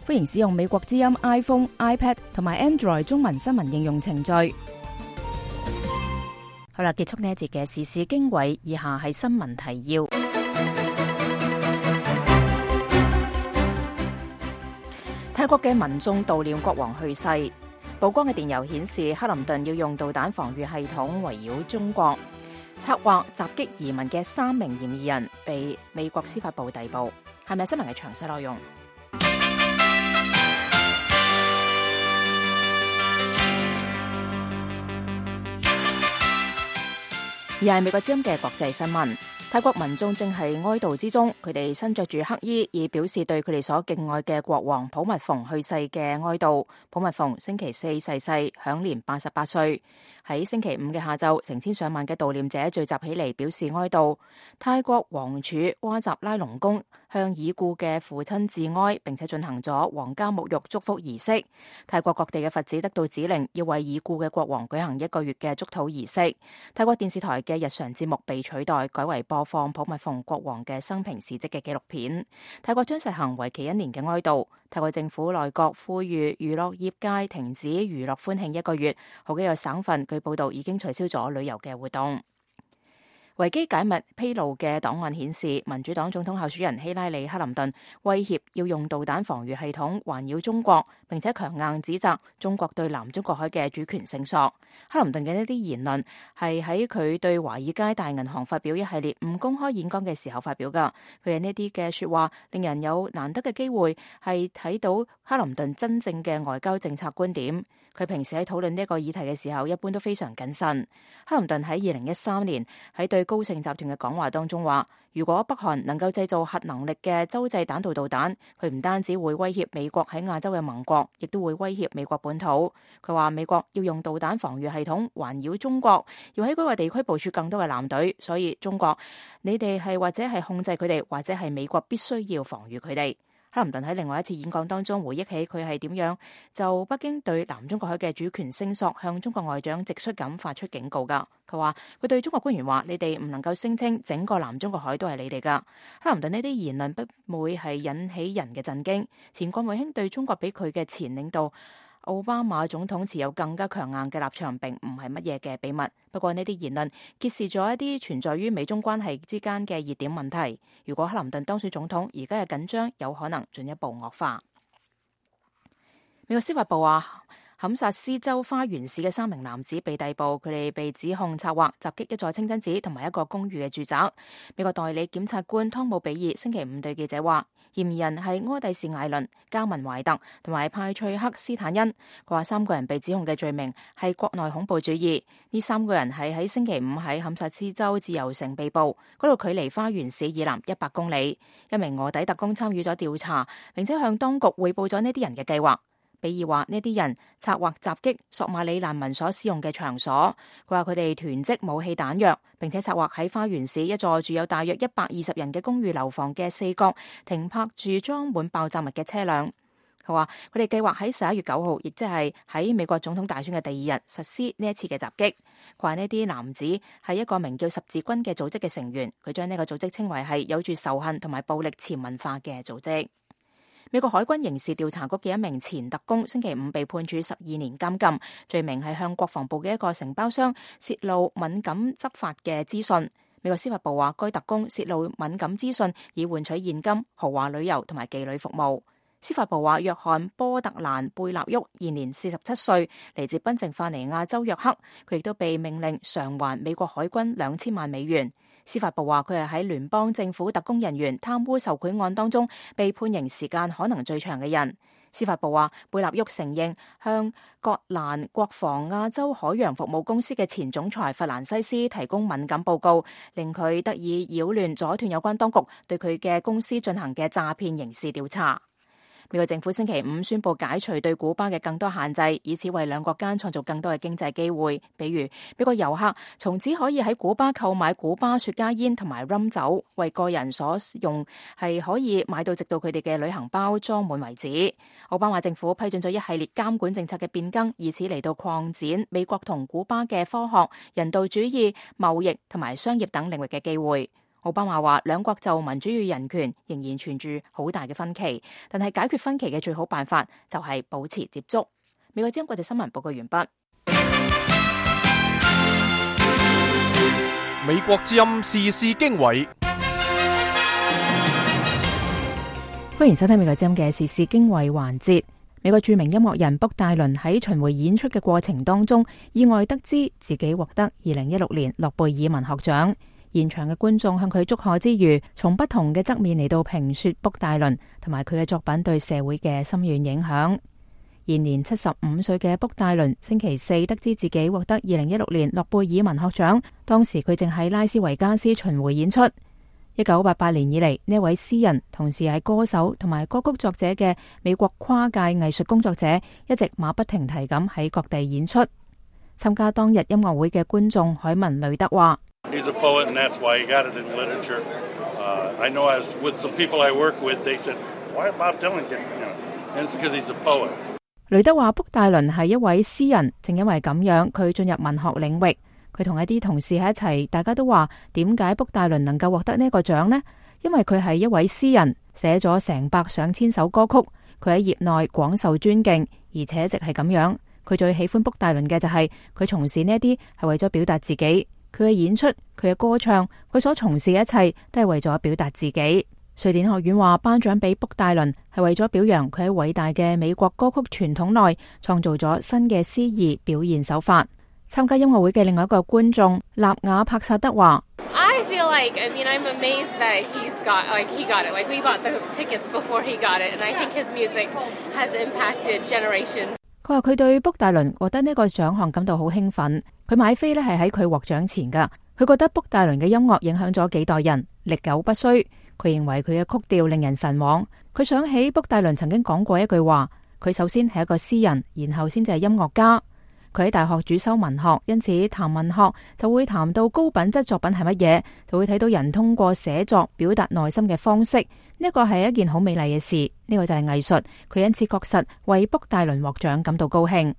歡迎使用美國之音 iPhone、iPad 同埋 Android 中文新聞應用程序。好啦，結束呢一節嘅時事經緯，以下係新聞提要。泰國嘅民眾悼念國王去世，曝光嘅電郵顯示克林頓要用導彈防禦系統圍繞中國，策劃襲擊移民嘅3名嫌疑人被美國司法部逮捕。係咪新聞嘅詳細內容？而係美國之音嘅國際新聞。泰國民眾正係哀悼之中，佢哋身着住黑衣，以表示對佢哋所敬愛嘅國王普密蓬去世嘅哀悼。普密蓬星期4逝世，享年88歲。喺星期5嘅下晝，成千上萬嘅悼念者聚集起嚟表示哀悼。泰國王儲哇集拉隆功向已故嘅父親致哀，並且進行咗皇家沐浴祝福儀式。泰國各地嘅佛寺得到指令，要為已故嘅國王舉行1個月嘅祝禱儀式。泰國電視台嘅日常節目被取代，改為播放普密蓬國王嘅生平事蹟嘅紀錄片。泰國將實行為期1年嘅哀悼。泰國政府內閣呼籲娛樂業界停止娛樂歡慶1個月。好幾個省份據報道已經取消咗旅遊嘅活動。維基解密披露嘅檔案顯示，民主黨總統候選人希拉里·克林頓威脅要用導彈防禦系統環繞中國，並且強硬指責中國對南中國海嘅主權聲索。克林頓嘅呢啲言論係喺佢對華爾街大銀行發表一系列唔公開演講嘅時候發表㗎。佢嘅呢啲嘅說話令人有難得嘅機會係睇到克林頓真正嘅外交政策觀點。佢平時喺討論呢個議題嘅時候，一般都非常謹慎。克林頓喺2013年喺對高盛集團嘅講話當中話，如果北韓能夠製造核能力嘅洲際彈道導彈，佢唔單止會威脅美國喺亞洲嘅盟國，亦都會威脅美國本土。佢話美國要用導彈防禦系統環繞中國，要喺嗰個地區部署更多嘅艦隊，所以中國你哋係或者係控制佢哋，或者係美國必須要防禦佢哋。克林頓喺另外一次演講當中回憶起佢係點樣就北京對南中國海嘅主權聲索向中國外長直率咁發出警告㗎。佢話佢對中國官員話：你哋唔能夠聲稱整個南中國海都係你哋㗎。克林頓呢啲言論不會係引起人嘅震驚。前國務卿對中國比佢嘅前領導奧巴馬總統持有更加強硬嘅立場，並唔係乜嘢嘅秘密。不過呢啲言論揭示咗一啲存在於美中關係之間嘅熱點問題。如果克林頓當選總統，而家嘅緊張有可能進一步惡化。美國司法部話，堪薩斯州花園市嘅3名男子被逮捕，佢哋被指控策劃襲擊一座清真寺同埋一個公寓嘅住宅。美國代理檢察官湯姆比爾星期5對記者話，嫌疑人係柯蒂士艾倫、加文懷特同埋派翠克斯坦恩。佢話3個人被指控嘅罪名係國內恐怖主義。呢3個人係喺星期5喺堪薩斯州自由城被捕，嗰度距離花園市以南100公里。一名臥底特工參與咗調查，並且向當局匯報咗呢啲人嘅計劃。比爾話呢啲人策劃襲擊索馬里難民所使用嘅場所。佢話佢哋囤積武器彈藥，並且策劃喺花園市一座住有大約120人嘅公寓樓房嘅4角停泊住裝滿爆炸物嘅車輛。佢話佢哋計劃喺11月9號，亦即係喺美國總統大選嘅第2日實施呢一次嘅襲擊。佢話呢啲男子係一個名叫十字軍嘅組織嘅成員，佢將呢個組織稱為係有住仇恨同埋暴力潛文化嘅組織。美國海軍刑事調查局嘅一名前特工星期5被判處12年監禁，罪名係向國防部嘅一個承包商泄露敏感執法嘅資訊。美國司法部話，該特工泄露敏感資訊以換取現金、豪華旅遊同埋妓女服務。司法部話，約翰波特蘭貝納沃現年47歲，嚟自賓夕法尼亞州約克，佢亦都被命令償還美國海軍2000萬美元。司法部話，佢係喺聯邦政府特工人員貪污受賄案當中被判刑時間可能最長嘅人。司法部話，貝納沃承認向葛蘭國防亞洲海洋服務公司嘅前總裁弗蘭西斯提供敏感報告，令佢得以擾亂阻斷有關當局對佢嘅公司進行嘅詐騙刑事調查。美國政府星期五宣布解除對古巴嘅更多限制，以此為兩國間創造更多嘅經濟機會。比如，美國遊客從此可以喺古巴購買古巴雪茄煙同埋 rum 酒，為個人所用係可以買到直到佢哋嘅旅行包裝滿為止。奧巴馬政府批准咗一系列監管政策嘅變更，以此嚟到擴展美國同古巴嘅科學、人道主義、貿易同埋商業等領域嘅機會。奧巴馬話，兩國就民主與人權仍然存住好大嘅分歧，但係解決分歧嘅最好辦法就係保持接觸。美國之音國際新聞報告完畢。美國之音時事經緯，歡迎收聽美國之音嘅時事經緯環節。美國著名音樂人卜戴倫喺巡迴演出嘅過程當中，意外得知自己獲得2016年諾貝爾文學獎。現場嘅觀眾向佢祝賀之餘，從不同嘅側面嚟到評說卜戴倫同埋佢嘅作品對社會嘅深遠影響。現年75歲嘅卜戴倫星期四得知自己獲得2016年諾貝爾文學獎，當時佢正喺拉斯維加斯巡迴演出。1988年以嚟，呢位詩人同時係歌手同埋歌曲作者嘅美國跨界藝術工作者，一直馬不停蹄咁喺各地演出。參加當日音樂會嘅觀眾海文雷德話：He's a poet, and that's why he got it in literature. I know I was with some people I work with. They said, "Why Bob Dylan get?" And it's because he's a poet. 雷德話：卜戴倫係一位詩人，正因為咁樣，佢進入文學領域。佢同一啲同事喺一齊，大家都話：點解卜戴倫能夠獲得呢個獎呢？因為佢係一位詩人，寫咗成百上千首歌曲，佢喺業內廣受尊敬，而且一直係咁樣。佢最喜歡卜戴倫嘅就係佢從事呢一啲係為咗表達自己。佢嘅演出，佢嘅歌唱，佢所從事嘅一切都係為咗表達自己。瑞典學院話頒獎俾卜戴倫係為咗表揚佢喺偉大嘅美國歌曲傳統內創造咗新嘅詩意表現手法。參加音樂會嘅另外一個觀眾納瓦帕薩德話：I feel I'm amazed that he got it. Like we bought the tickets before he got it, and I think his music has impacted generations. 佢話佢對卜戴倫獲得呢個獎項感到好興奮。佢買飛呢係喺佢獲獎前噶。佢覺得卜戴倫嘅音樂影響咗幾代人，歷久不衰。佢認為佢嘅曲調令人神往。佢想起卜戴倫曾經講過一句話：佢首先係一個詩人，然後先至係音樂家。佢喺大學主修文學，因此談文學就會談到高品質作品係乜嘢，就會睇到人通過寫作表達內心嘅方式。呢個係一件好美麗嘅事，呢個就係藝術。佢因此確實為卜戴倫獲獎感到高興。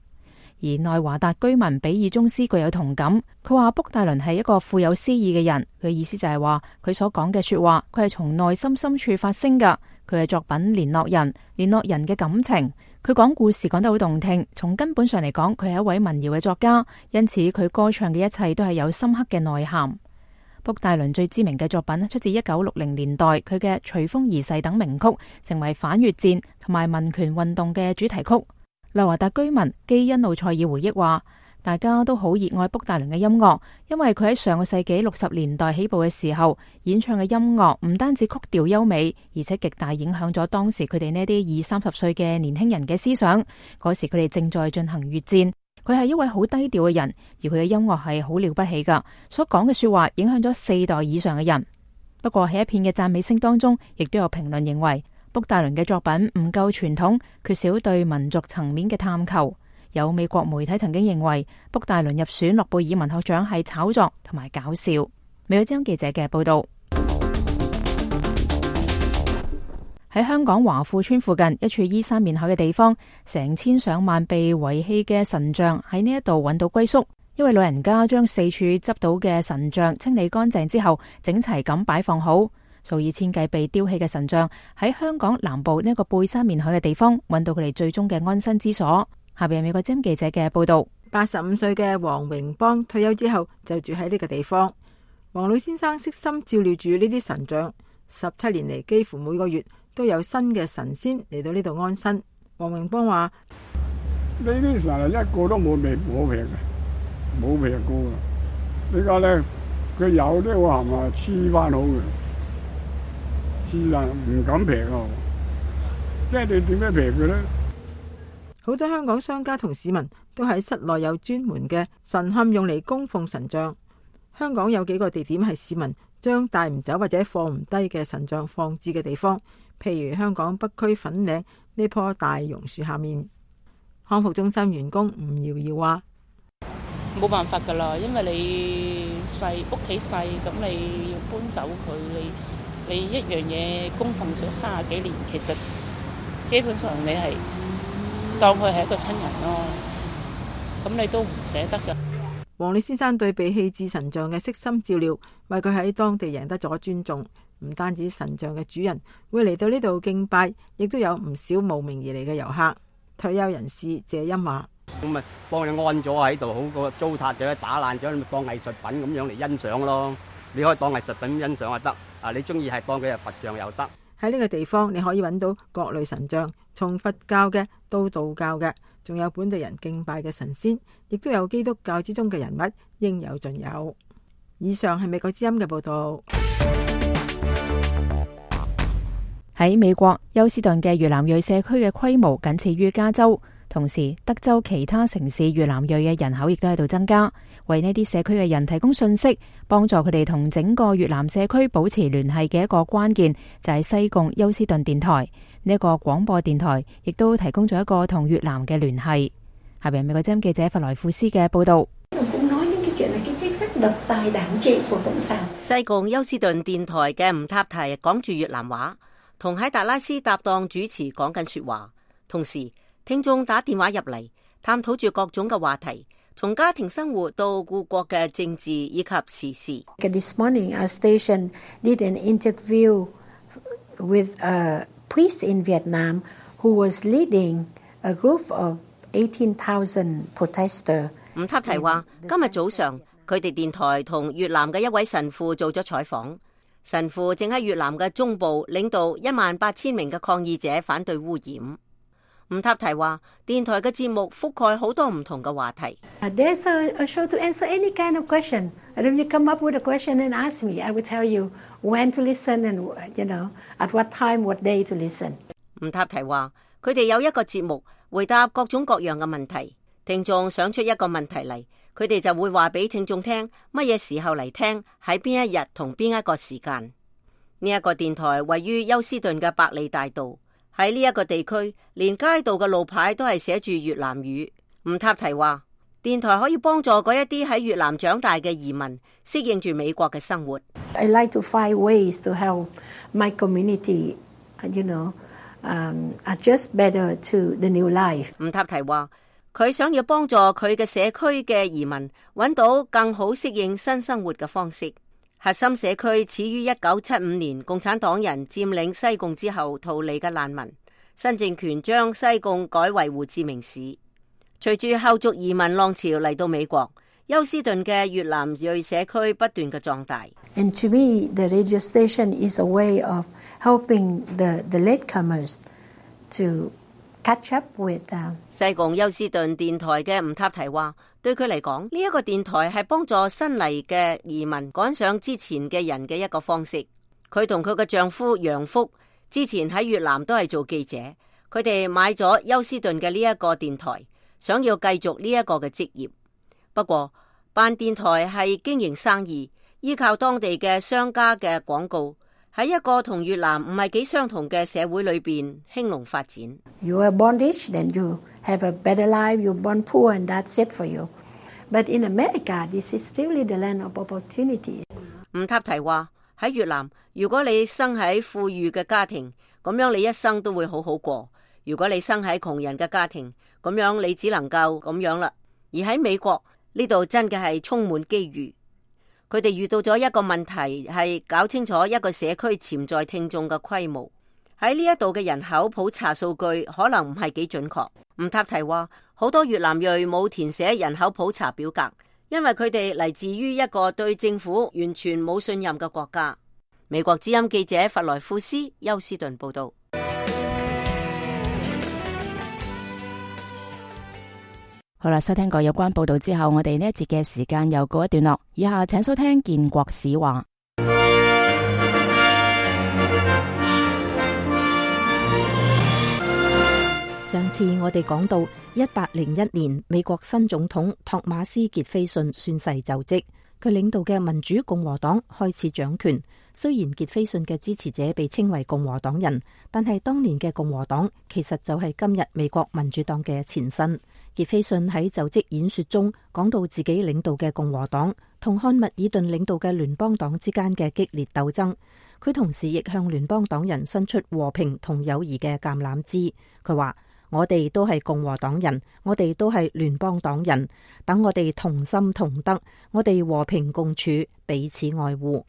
而內華達居民比爾宗斯具有同感，佢話卜戴倫係一個富有詩意嘅人。佢意思就係話佢所講嘅說話，佢係從內心深處發聲噶。佢嘅作品聯絡人嘅感情。佢講故事講得好動聽，從根本上嚟講，佢係一位民謠嘅作家，因此佢歌唱嘅一切都係有深刻嘅內涵。卜戴倫最知名嘅作品出自1960年代，佢嘅《隨風而逝》等名曲，成為反越戰同埋民權運動嘅主題曲。內華達居民基恩路塞爾回憶話：大家都好熱愛卜戴倫嘅音樂，因為佢喺上個世紀60年代起步嘅時候，演唱嘅音樂唔單止曲調優美，而且極大影響咗當時佢哋呢啲20-30歲嘅年輕人嘅思想。嗰時佢哋正在進行越戰，佢係一位好低調嘅人，而佢嘅音樂係好了不起噶，所講嘅說話影響咗4代以上嘅人。不過喺一片嘅讚美聲當中，亦都有評論認為卜戴倫嘅作品唔夠傳統，缺少對民族層面嘅探求。有美國媒體曾經認為卜戴倫入選諾貝爾文學獎係炒作同埋搞笑。美國之音記者嘅報道。喺香港華富村附近一處依山面海嘅地方，成千上萬被遺棄嘅神像喺呢一度揾到歸宿。一位老人家將四處執到嘅神像清理乾淨之後，整齊咁擺放好。數以千計被丟棄嘅神像喺香港南部呢一個背山面海嘅地方揾到佢哋最終嘅安身之所。下邊係美國之音記者嘅報道。85歲嘅黃榮邦退休之後就住喺呢個地方。黃老先生悉心照料住呢啲神像，17年嚟幾乎每個月都有新嘅神仙嚟到呢度安身。黃榮邦話：呢啲神係一個都冇劈嘅，冇劈過嘅。點解咧？佢有啲我係咪黐翻好嘅？黐但唔敢劈啊！即係你點樣劈佢咧？好多香港商家同市民都喺室內有專門嘅神龕用嚟供奉神像。香港有幾個地點係市民將帶唔走或者放唔低嘅神像放置嘅地方，譬如香港北區粉嶺呢棵大榕樹下面。康復中心員工吳瑤瑤話：冇辦法噶啦，因為你細屋企細，咁你要搬走佢，你一樣嘢供奉咗30幾年，其實基本上你係當佢係一個親人咯，咁你都唔捨得噶。黃烈先生對被棄置神像嘅悉心照料，為佢喺當地贏得咗尊重。唔單止神像嘅主人會嚟到呢度敬拜，亦都有唔少慕名而嚟嘅遊客。退休人士謝欣話：咁咪幫你安咗喺度，好過糟蹋咗、打爛咗，你咪當藝術品咁樣嚟欣賞咯。你可以當藝術品欣賞就得，啊你中意係當佢係佛像又得。喺呢個地方你可以揾到各類神像，從佛教嘅到道教嘅，仲有本地人敬拜嘅神仙，亦都有基督教之中嘅人物，應有盡有。以上係美國之音嘅報道。喺美國休斯頓嘅越南裔社區嘅規模僅次於加州，同時德州其他城市越南裔嘅人口亦都喺度增加，為呢啲社區嘅人提供信息，幫助佢哋同整個越南社區保持聯繫嘅一個關鍵就係西貢休斯頓電台。呢一個廣播電台亦都提供咗一個同越南嘅聯繫。下邊美國之音記者弗萊庫斯嘅報道。西貢休斯頓電台嘅吳塔提講住越南話，同喺達拉斯搭檔主持講緊說話，同時聽眾打電話入嚟，探討住各種嘅話題，從家庭生活到故國嘅政治以及時事。This morning, our station did an interview with a priest in Vietnam who was leading a group of 18,000 protesters. 吳塔提話：今日早上佢哋電台同越南嘅一位神父做咗採訪。神父正喺越南嘅中部領導18000名嘅抗議者反對污染。吳塔提話，電台嘅節目覆蓋好多唔同嘅話題。There's a show to answer any kind of question. And if you come up with a question and ask me, I will tell you when to listen and at what time, what day to listen. 吳塔提話，佢哋有一個節目回答各種各樣嘅問題，聽眾想出一個問題嚟，佢哋就會話俾聽眾聽乜嘢時候嚟聽，喺邊一日同邊一個時間。呢一個電台位於休斯頓嘅百利大道，喺呢一個地區，連街道嘅路牌都係寫住越南語。吳塔提話，電台可以幫助嗰一啲喺越南長大嘅移民適應住美國嘅生活。I like to find ways to help my community, adjust better to the new life. 吳塔提話，佢想要幫助佢嘅社區嘅移民揾到更好適應新生活嘅方式。核心社區始於1975年共產黨人佔領西貢之後逃離嘅難民，新政權將西貢改為胡志明市。隨住後續移民浪潮嚟到美國，休斯頓嘅越南裔社區不斷嘅壯大。And to me, the radio station is a way of helping the latecomers to catch up with them. 西貢休斯頓電台嘅吳塔提話，對佢嚟講，呢一個電台係幫助新嚟嘅移民趕上之前嘅人嘅一個方式。佢同佢嘅丈夫楊福之前喺越南都係做記者，佢哋買咗休斯頓嘅呢一個電台，想要繼續呢一個嘅職業。不過辦電台係經營生意，依靠當地嘅商家嘅廣告，喺一個同越南唔係幾相同嘅社會裏邊興隆發展。You are born rich, then you have a better life. You born poor, and that's it for you. But in America, this is really the land of opportunity. 吳塔提話，喺越南，如果你生喺富裕嘅家庭，咁樣你一生都會好好過；如果你生喺窮人嘅家庭，咁樣你只能夠咁樣啦。而喺美國呢度真嘅係充滿機遇。佢哋遇到咗一個問題，係搞清楚一個社區潛在聽眾嘅規模。喺呢一度嘅人口普查數據可能唔係幾準確。吳塔提話，好多越南裔冇填寫人口普查表格，因為佢哋嚟自於一個對政府完全冇信任嘅國家。美國之音記者弗萊庫斯休斯頓報道。好啦，收聽過有關報道之後，我哋呢一節嘅時間又告一段落。以下請收聽建國史話。上次我哋講到1801年，美國新總統托馬斯傑斐遜宣誓就職，佢領導嘅民主共和黨開始掌權。雖然傑斐遜嘅支持者被稱為共和黨人，但係當年嘅共和黨其實就係今日美國民主黨嘅前身。傑斐遜喺就職演說中講到自己領導嘅共和黨同漢密爾頓領導嘅聯邦黨之間嘅激烈鬥爭，佢同時亦向聯邦黨人伸出和平同友誼嘅橄欖枝。佢話：我哋都係共和黨人，我哋都係聯邦黨人，等我哋同心同德，我哋和平共處，彼此愛護。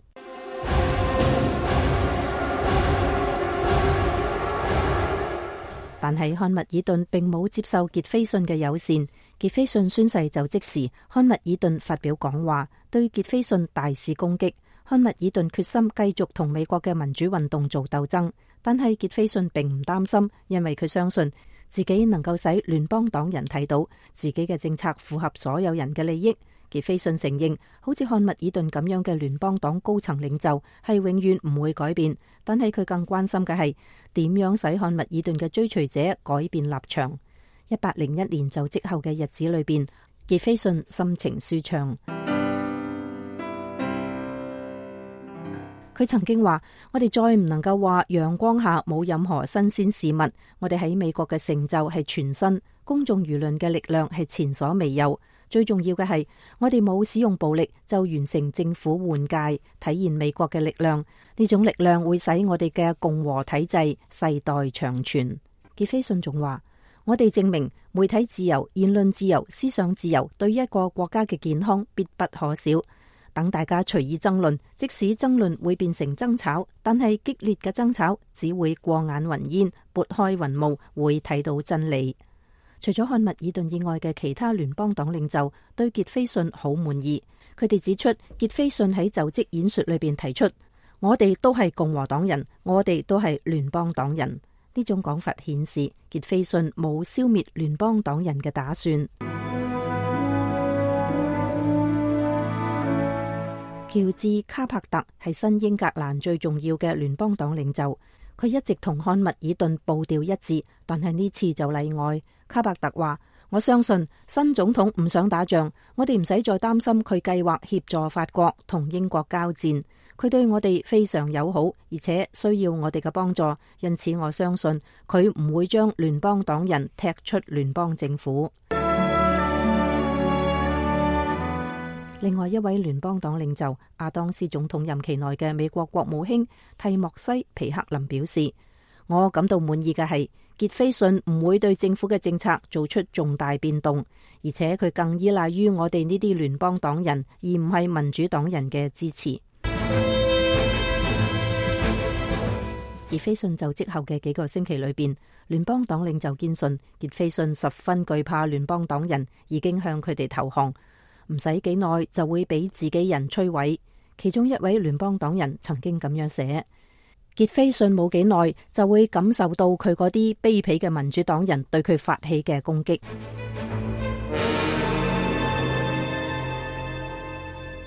但係漢密爾頓並冇接受傑斐遜嘅友善。傑斐遜宣誓就職時，漢密爾頓發表講話，對傑斐遜大肆攻擊。漢密爾頓決心繼續同美國嘅民主運動做鬥爭，但係傑斐遜並唔擔心，因為佢相信自己能夠使聯邦黨人睇到自己嘅政策符合所有人嘅利益。傑斐遜承認，好似漢密爾頓咁樣嘅聯邦黨高層領袖係永遠唔會改變，但係佢更關心嘅係點樣使漢密爾頓嘅追隨者改變立場。1801年就職後嘅日子裏邊，傑斐遜心情舒暢。佢曾經話：我哋再唔能夠話陽光下冇任何新鮮事物，我哋喺美國嘅成就係全新，公眾輿論嘅力量係前所未有。最重要嘅係，我哋冇使用暴力就完成政府換屆，體現美國嘅力量。呢種力量會使我哋嘅共和體制世代長存。傑斐遜仲話：我哋證明媒體自由、言論自由、思想自由對一個國家嘅健康必不可少。等大家隨意爭論，即使爭論會變成爭吵，但係激烈嘅爭吵只會過眼雲煙，撥開雲霧，會睇到真理。除咗漢密爾頓以外嘅其他聯邦黨領袖對傑斐遜好滿意，佢哋指出傑斐遜喺就職演說裏邊提出：我哋都係共和黨人，我哋都係聯邦黨人。呢種講法顯示傑斐遜冇消滅聯邦黨人嘅打算。喬治卡柏特係新英格蘭最重要嘅聯邦黨領袖，佢一直同漢密爾頓步調一致，但係呢次就例外。卡柏特話：我相信新總統唔想打仗，我哋唔使再擔心佢計劃協助法國同英國交戰。佢對我哋非常友好，而且需要我哋嘅幫助，因此我相信佢唔會將聯邦黨人踢出聯邦政府。另外一位聯邦黨領袖亞當斯總統任期內嘅美國國務卿蒂莫西皮克林表示：我感到滿意嘅係傑斐遜唔會對政府嘅政策做出重大變動，而且佢更依賴於我哋呢啲聯邦黨人，而唔係民主黨人嘅支持。傑斐遜就職後嘅幾個星期裏邊，聯邦黨領袖堅信傑斐遜十分懼怕聯邦黨人，已經向佢哋投降，唔使幾耐就會俾自己人摧毀。其中一位聯邦黨人曾經咁樣寫：傑斐遜冇幾耐就會感受到佢嗰啲卑鄙嘅民主黨人對佢發起嘅攻擊。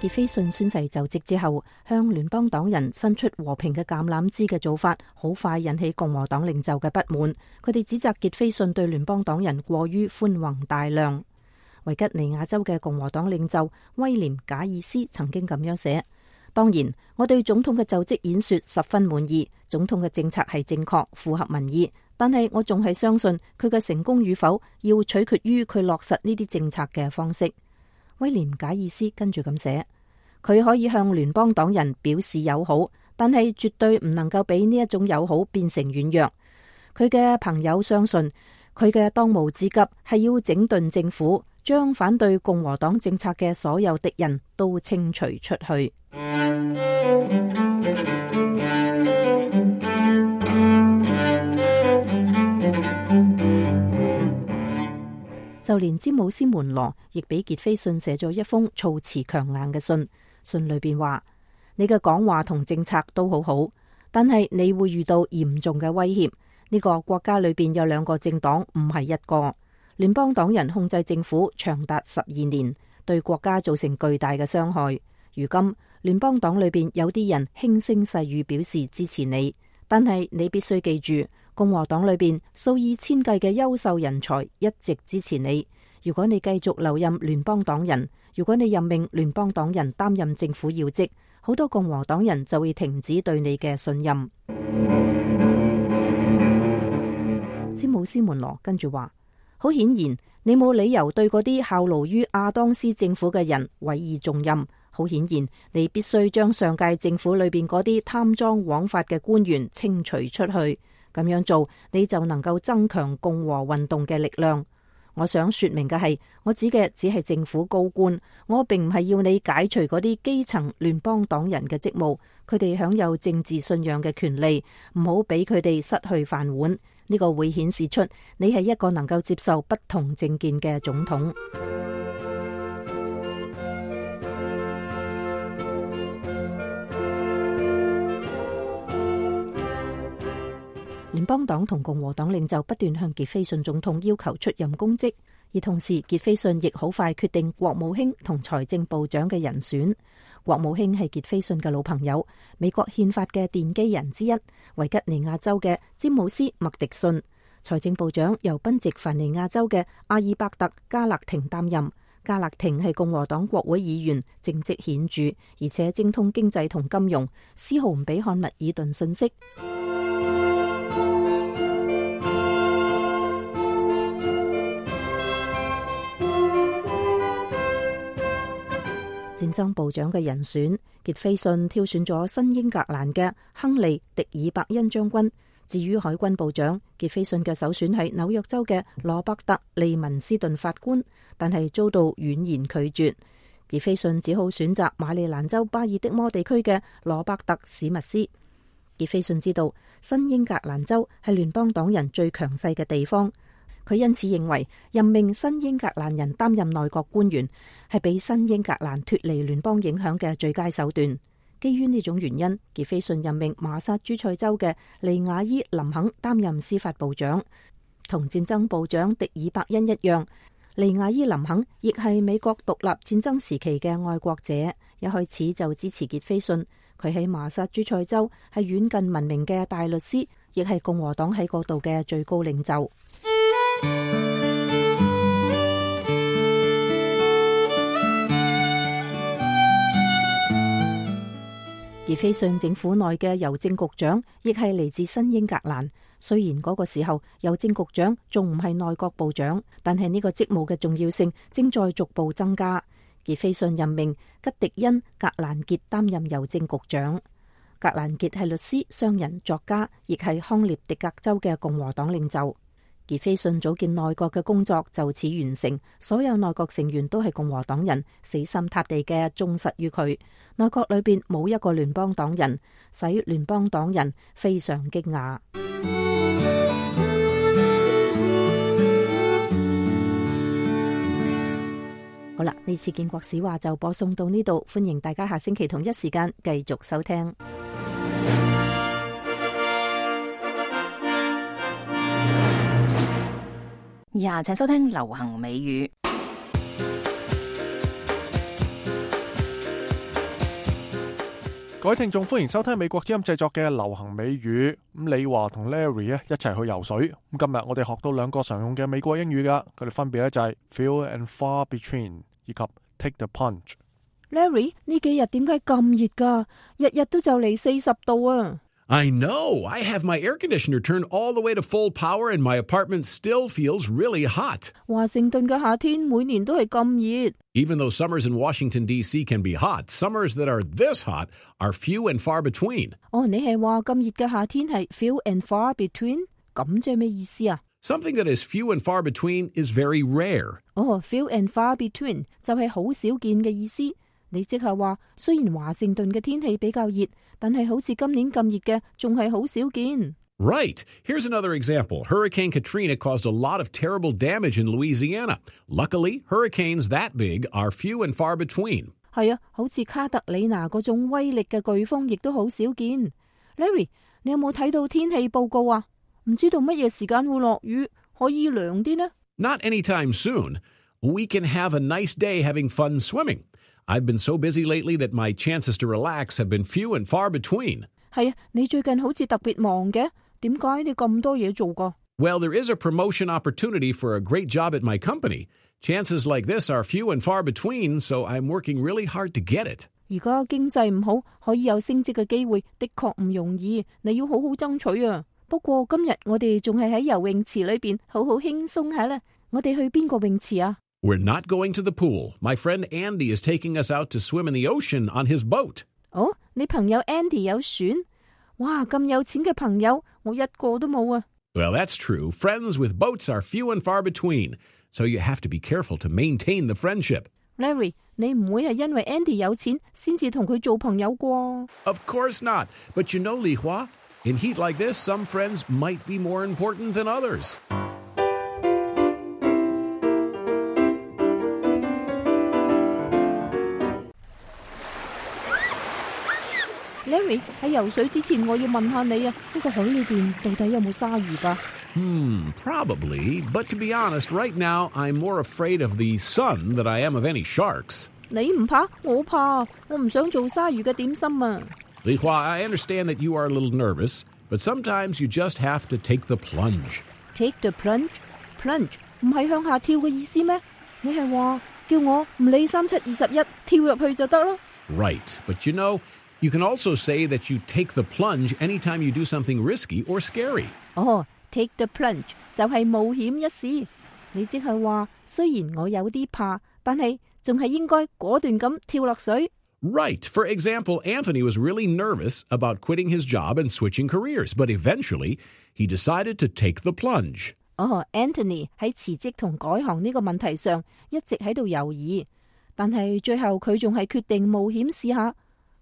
傑斐遜宣誓就職之後，向聯邦黨人伸出和平嘅橄欖枝嘅做法，好快引起共和黨領袖嘅不滿。佢哋指責傑斐遜對聯邦黨人過於寬宏大量。維吉尼亞州嘅共和黨領袖威廉賈爾斯曾經咁樣寫：當然，我對總統嘅就職演說十分滿意，總統嘅政策係正確，符合民意。但係我仲係相信佢嘅成功與否，要取決於佢落實呢啲政策嘅方式。威廉賈爾斯跟住咁寫：佢可以向聯邦黨人表示友好，但係絕對唔能夠俾呢一種友好變成軟弱。佢嘅朋友相信佢嘅當務之急係要整頓政府，將反對共和黨政策嘅所有敵人都清除出去。就連詹姆斯門羅亦俾傑斐遜寫咗一封措辭強硬嘅信，信裏邊話：你嘅講話同政策都好好，但係你會遇到嚴重嘅威脅。呢個國家裏邊有兩個政黨，唔係一個。聯邦黨人控制政府長達12年，對國家造成巨大嘅傷害。如今聯邦黨裏邊有啲人輕聲細語表示支持你，但係你必須記住，共和黨裏邊數以千計嘅優秀人才一直支持你。如果你繼續留任聯邦黨人，如果你任命聯邦黨人擔任政府要職，好多共和黨人就會停止對你嘅信任。詹姆斯門羅跟住話，好顯然你冇理由對嗰啲效勞於亞當斯政府嘅人委以重任。好顯然你必須將上屆政府裏邊嗰啲貪贓枉法嘅官員清除出去。咁樣做你就能夠增強共和運動嘅力量。我想說明嘅係，我指嘅只係政府高官，我並唔係要你解除嗰啲基層聯邦黨人嘅職務，佢哋享有政治信仰嘅權利，唔好俾佢哋失去飯碗。呢個會顯示出你係一個能夠接受不同政見嘅總統。聯邦黨同共和黨領袖不斷向傑斐遜總統要求出任公職，而同時傑斐遜亦好快決定國務卿同財政部長嘅人選。國務卿係傑斐遜嘅老朋友，美國憲法嘅奠基人之一，維吉尼亞州嘅詹姆斯麥迪遜。財政部長由賓夕凡尼亞州嘅阿爾伯特加勒廷擔任。加勒廷係共和黨國會議員，政績顯著，而且精通經濟同金融，絲毫唔俾漢密爾頓遜色。戰爭部長嘅人選，傑斐遜挑選咗新英格蘭嘅亨利·迪爾伯恩將軍。至於海軍部長，傑斐遜嘅首選係紐約州嘅羅伯特·利文斯頓法官，但係遭到婉言拒絕。傑斐遜只好選擇馬里蘭州巴爾的摩地區嘅羅伯特·史密斯。傑斐遜知道新英格蘭州係聯邦黨人最強勢嘅地方。佢因此認為任命新英格蘭人擔任內閣官員係俾新英格蘭脫離聯邦影響嘅最佳手段。基於呢種原因，傑斐遜任命馬薩諸塞州嘅利亞伊林肯擔任司法部長。同戰爭部長迪爾伯恩一樣，利亞伊林肯亦係美國獨立戰爭時期嘅愛國者，一開始就支持傑斐遜。佢喺馬薩諸塞州係遠近聞名嘅大律師，亦係共和黨喺嗰度嘅最高領袖。傑斐遜政府內嘅郵政局長亦係嚟自新英格蘭。雖然嗰個時候郵政局長仲唔係內閣部長，但係呢個職務嘅重要性正在逐步增加。傑斐遜任命吉迪恩·格蘭傑擔任郵政局長。格蘭傑係律師、商人、作家，亦係康涅狄格州嘅共和黨領袖。傑斐遜組建內閣嘅工作就此完成，所有內閣成員都係共和黨人，死心塌地嘅忠實於佢。內閣裏邊冇一個聯邦黨人，使聯邦黨人非常驚訝。好啦，呢次建國史話就播送到呢度，歡迎大家下星期同一時間繼續收聽。以下請收聽流行美語。各位聽眾，歡迎收聽美國之音製作嘅流行美語。咁李華同 Larry 咧一齊去游水。咁今日我哋學到兩個常用嘅美國英語噶，佢哋分別咧就係 few and far between 以及 take the plunge。Larry 呢幾日點解咁熱噶？日日都就嚟40度啊！ I know. I have my air conditioner turned all the way to full power and my apartment still feels really hot. 華盛頓嘅夏天每年都係咁熱。Even though summers in Washington, D.C. can be hot, summers that are this hot are few and far between. 你係話咁熱嘅夏天係 few and far between？ 咁即係咩意思啊？ Something that is few and far between is very rare. few and far between 就係好少見嘅意思。你即係話，雖然華盛頓嘅天氣比較熱，但係好似今年咁熱嘅，仲係好少見。Right. Here's another example. Hurricane Katrina caused a lot of terrible damage in Louisiana. Luckily, hurricanes that big are few and far between. 係啊，好似卡特里娜嗰種威力嘅颶風，亦都好少見。Larry， 你有冇睇到天氣報告啊？唔知道乜嘢時間會落雨，可以涼啲呢？ Not anytime soon. We can have a nice day having fun swimming. I've been so busy lately that my chances to relax have been few and far between. 係啊，你最近好似特別忙嘅，點解你咁多嘢做㗎？ Well, there is a promotion opportunity for a great job at my company. Chances like this are few and far between, so I'm working really hard to get it. 而家經濟唔好，可以有升職嘅機會，的確唔容易，你要好好爭取啊！不過今日我哋仲係喺游泳池裏邊，好好輕鬆下啦。我哋去邊個泳池啊？ We're not going to the pool. My friend Andy is taking us out to swim in the ocean on his boat. 哦，你朋友 Andy 有船？哇，咁有錢嘅朋友，我一個都冇啊！ Well, that's true. Friends with boats are few and far between, so you have to be careful to maintain the friendship. Larry， 你唔會係因為 Andy 有錢先至同佢做朋友啩？ Of course not. But you know, Li Hua, in heat like this, some friends might be more important than others. Larry， 喺游水之前，我要問下你啊，呢個海裏邊到底有冇鯊魚㗎？ Probably. But to be honest, right now, I'm more afraid of the sun than I am of any sharks. 你唔怕，我怕，我唔想做鯊魚嘅點心啊。 Li Hua, I understand that you are a little nervous, but sometimes you just have to take the plunge. Take the plunge? Plunge 唔係向下跳嘅意思咩？你係話叫我唔理3721跳入去就得咯？ Right. But you know, you can also say that you take the plunge anytime you do something risky or scary. 哦，take the plunge 就係冒險一試。你即係話，雖然我有啲怕，但係仲係應該果斷咁跳落水。Right. For example, Anthony was really nervous about quitting his job and switching careers, but eventually he decided to take the plunge. 哦，Anthony 喺辭職同改行呢個問題上一直喺度猶豫，但係最後佢仲係決定冒險試下。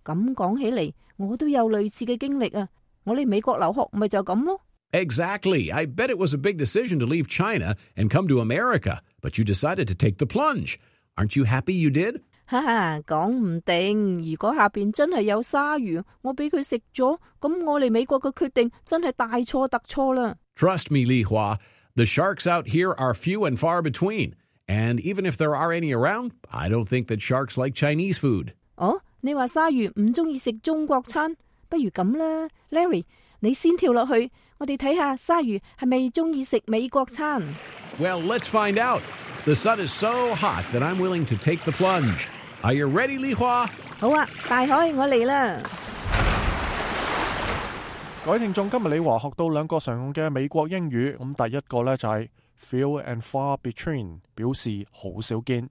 咁講起嚟，我都有類似嘅經歷啊！我嚟美國留學咪就咁咯。Exactly. I bet it was a big decision to leave China and come to America, but you decided to take the plunge. Aren't you happy you did? 哈哈，講唔定，如果下邊真係有鯊魚，我俾佢食咗，咁我嚟美國嘅決定真係大錯特錯啦。Trust me, Li Hua, the sharks out here are few and far between. And even if there are any around, I don't think that sharks like Chinese food. 哦，你話鯊魚唔中意食中國餐，不如咁啦 ，Larry， 你先跳落去，我哋睇下鯊魚係咪中意食美國餐。Well, let's find out. The sun is so hot that I'm willing to take the plunge. Are you ready, Li Hua? 好啊，大海，我嚟啦！各位聽眾，今日李華學到兩個常用嘅美國英語，咁第一個呢就係 few and far between， 表示好少見；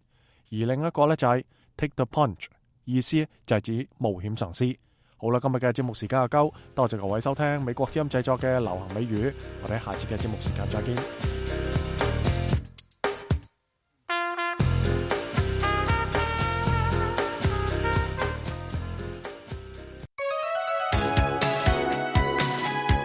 而另一個呢就係 take the plunge， 意思就係指冒險嘗試。好啦，今日嘅節目時間就夠，多謝各位收聽美國之音製作嘅流行美語，我哋下次嘅節目時間再見。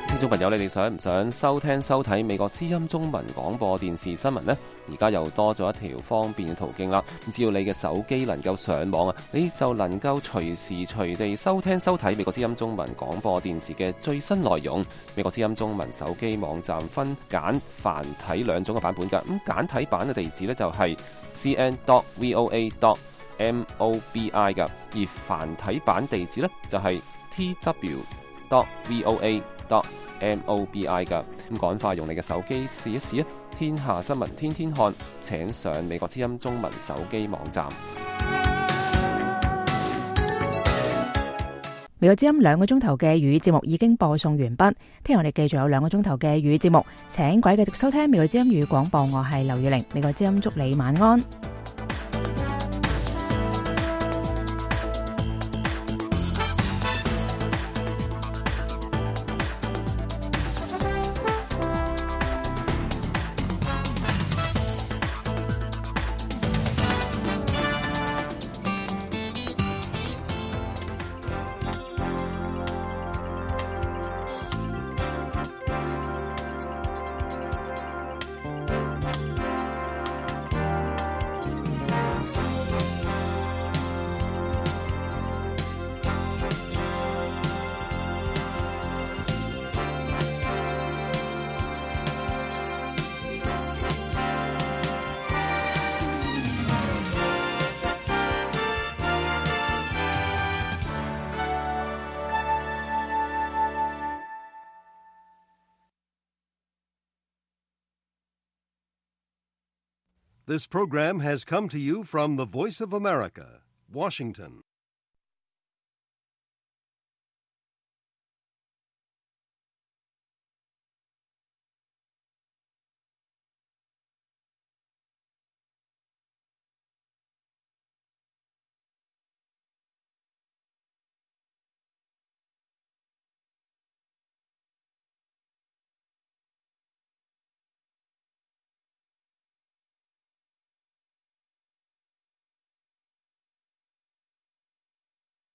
聽眾朋友，你哋想唔想收聽收睇美國之音中文廣播電視新聞呢？而家又多咗一條方便嘅途徑啦！只要你嘅手機能夠上網啊，你就能夠隨時隨地收聽收睇美國之音中文廣播電視嘅最新內容。美國之音中文手機網站分簡繁體兩種嘅版本㗎。咁簡體版嘅地址呢，就係 cn.voa.mobi 㗎，而繁體版地址呢，就係 tw.voa.mobi 噶，咁趕快用你嘅手機試一試啊！天下新聞天天看，請上美國之音中文手機網站。美國之音2個鐘頭嘅粵語節目已經播送完畢，聽日我哋繼續有2個鐘頭嘅粵語節目，請各位繼續收聽美國之音粵語廣播，我係劉宇玲，美國之音祝你晚安。This program has come to you from the Voice of America, Washington.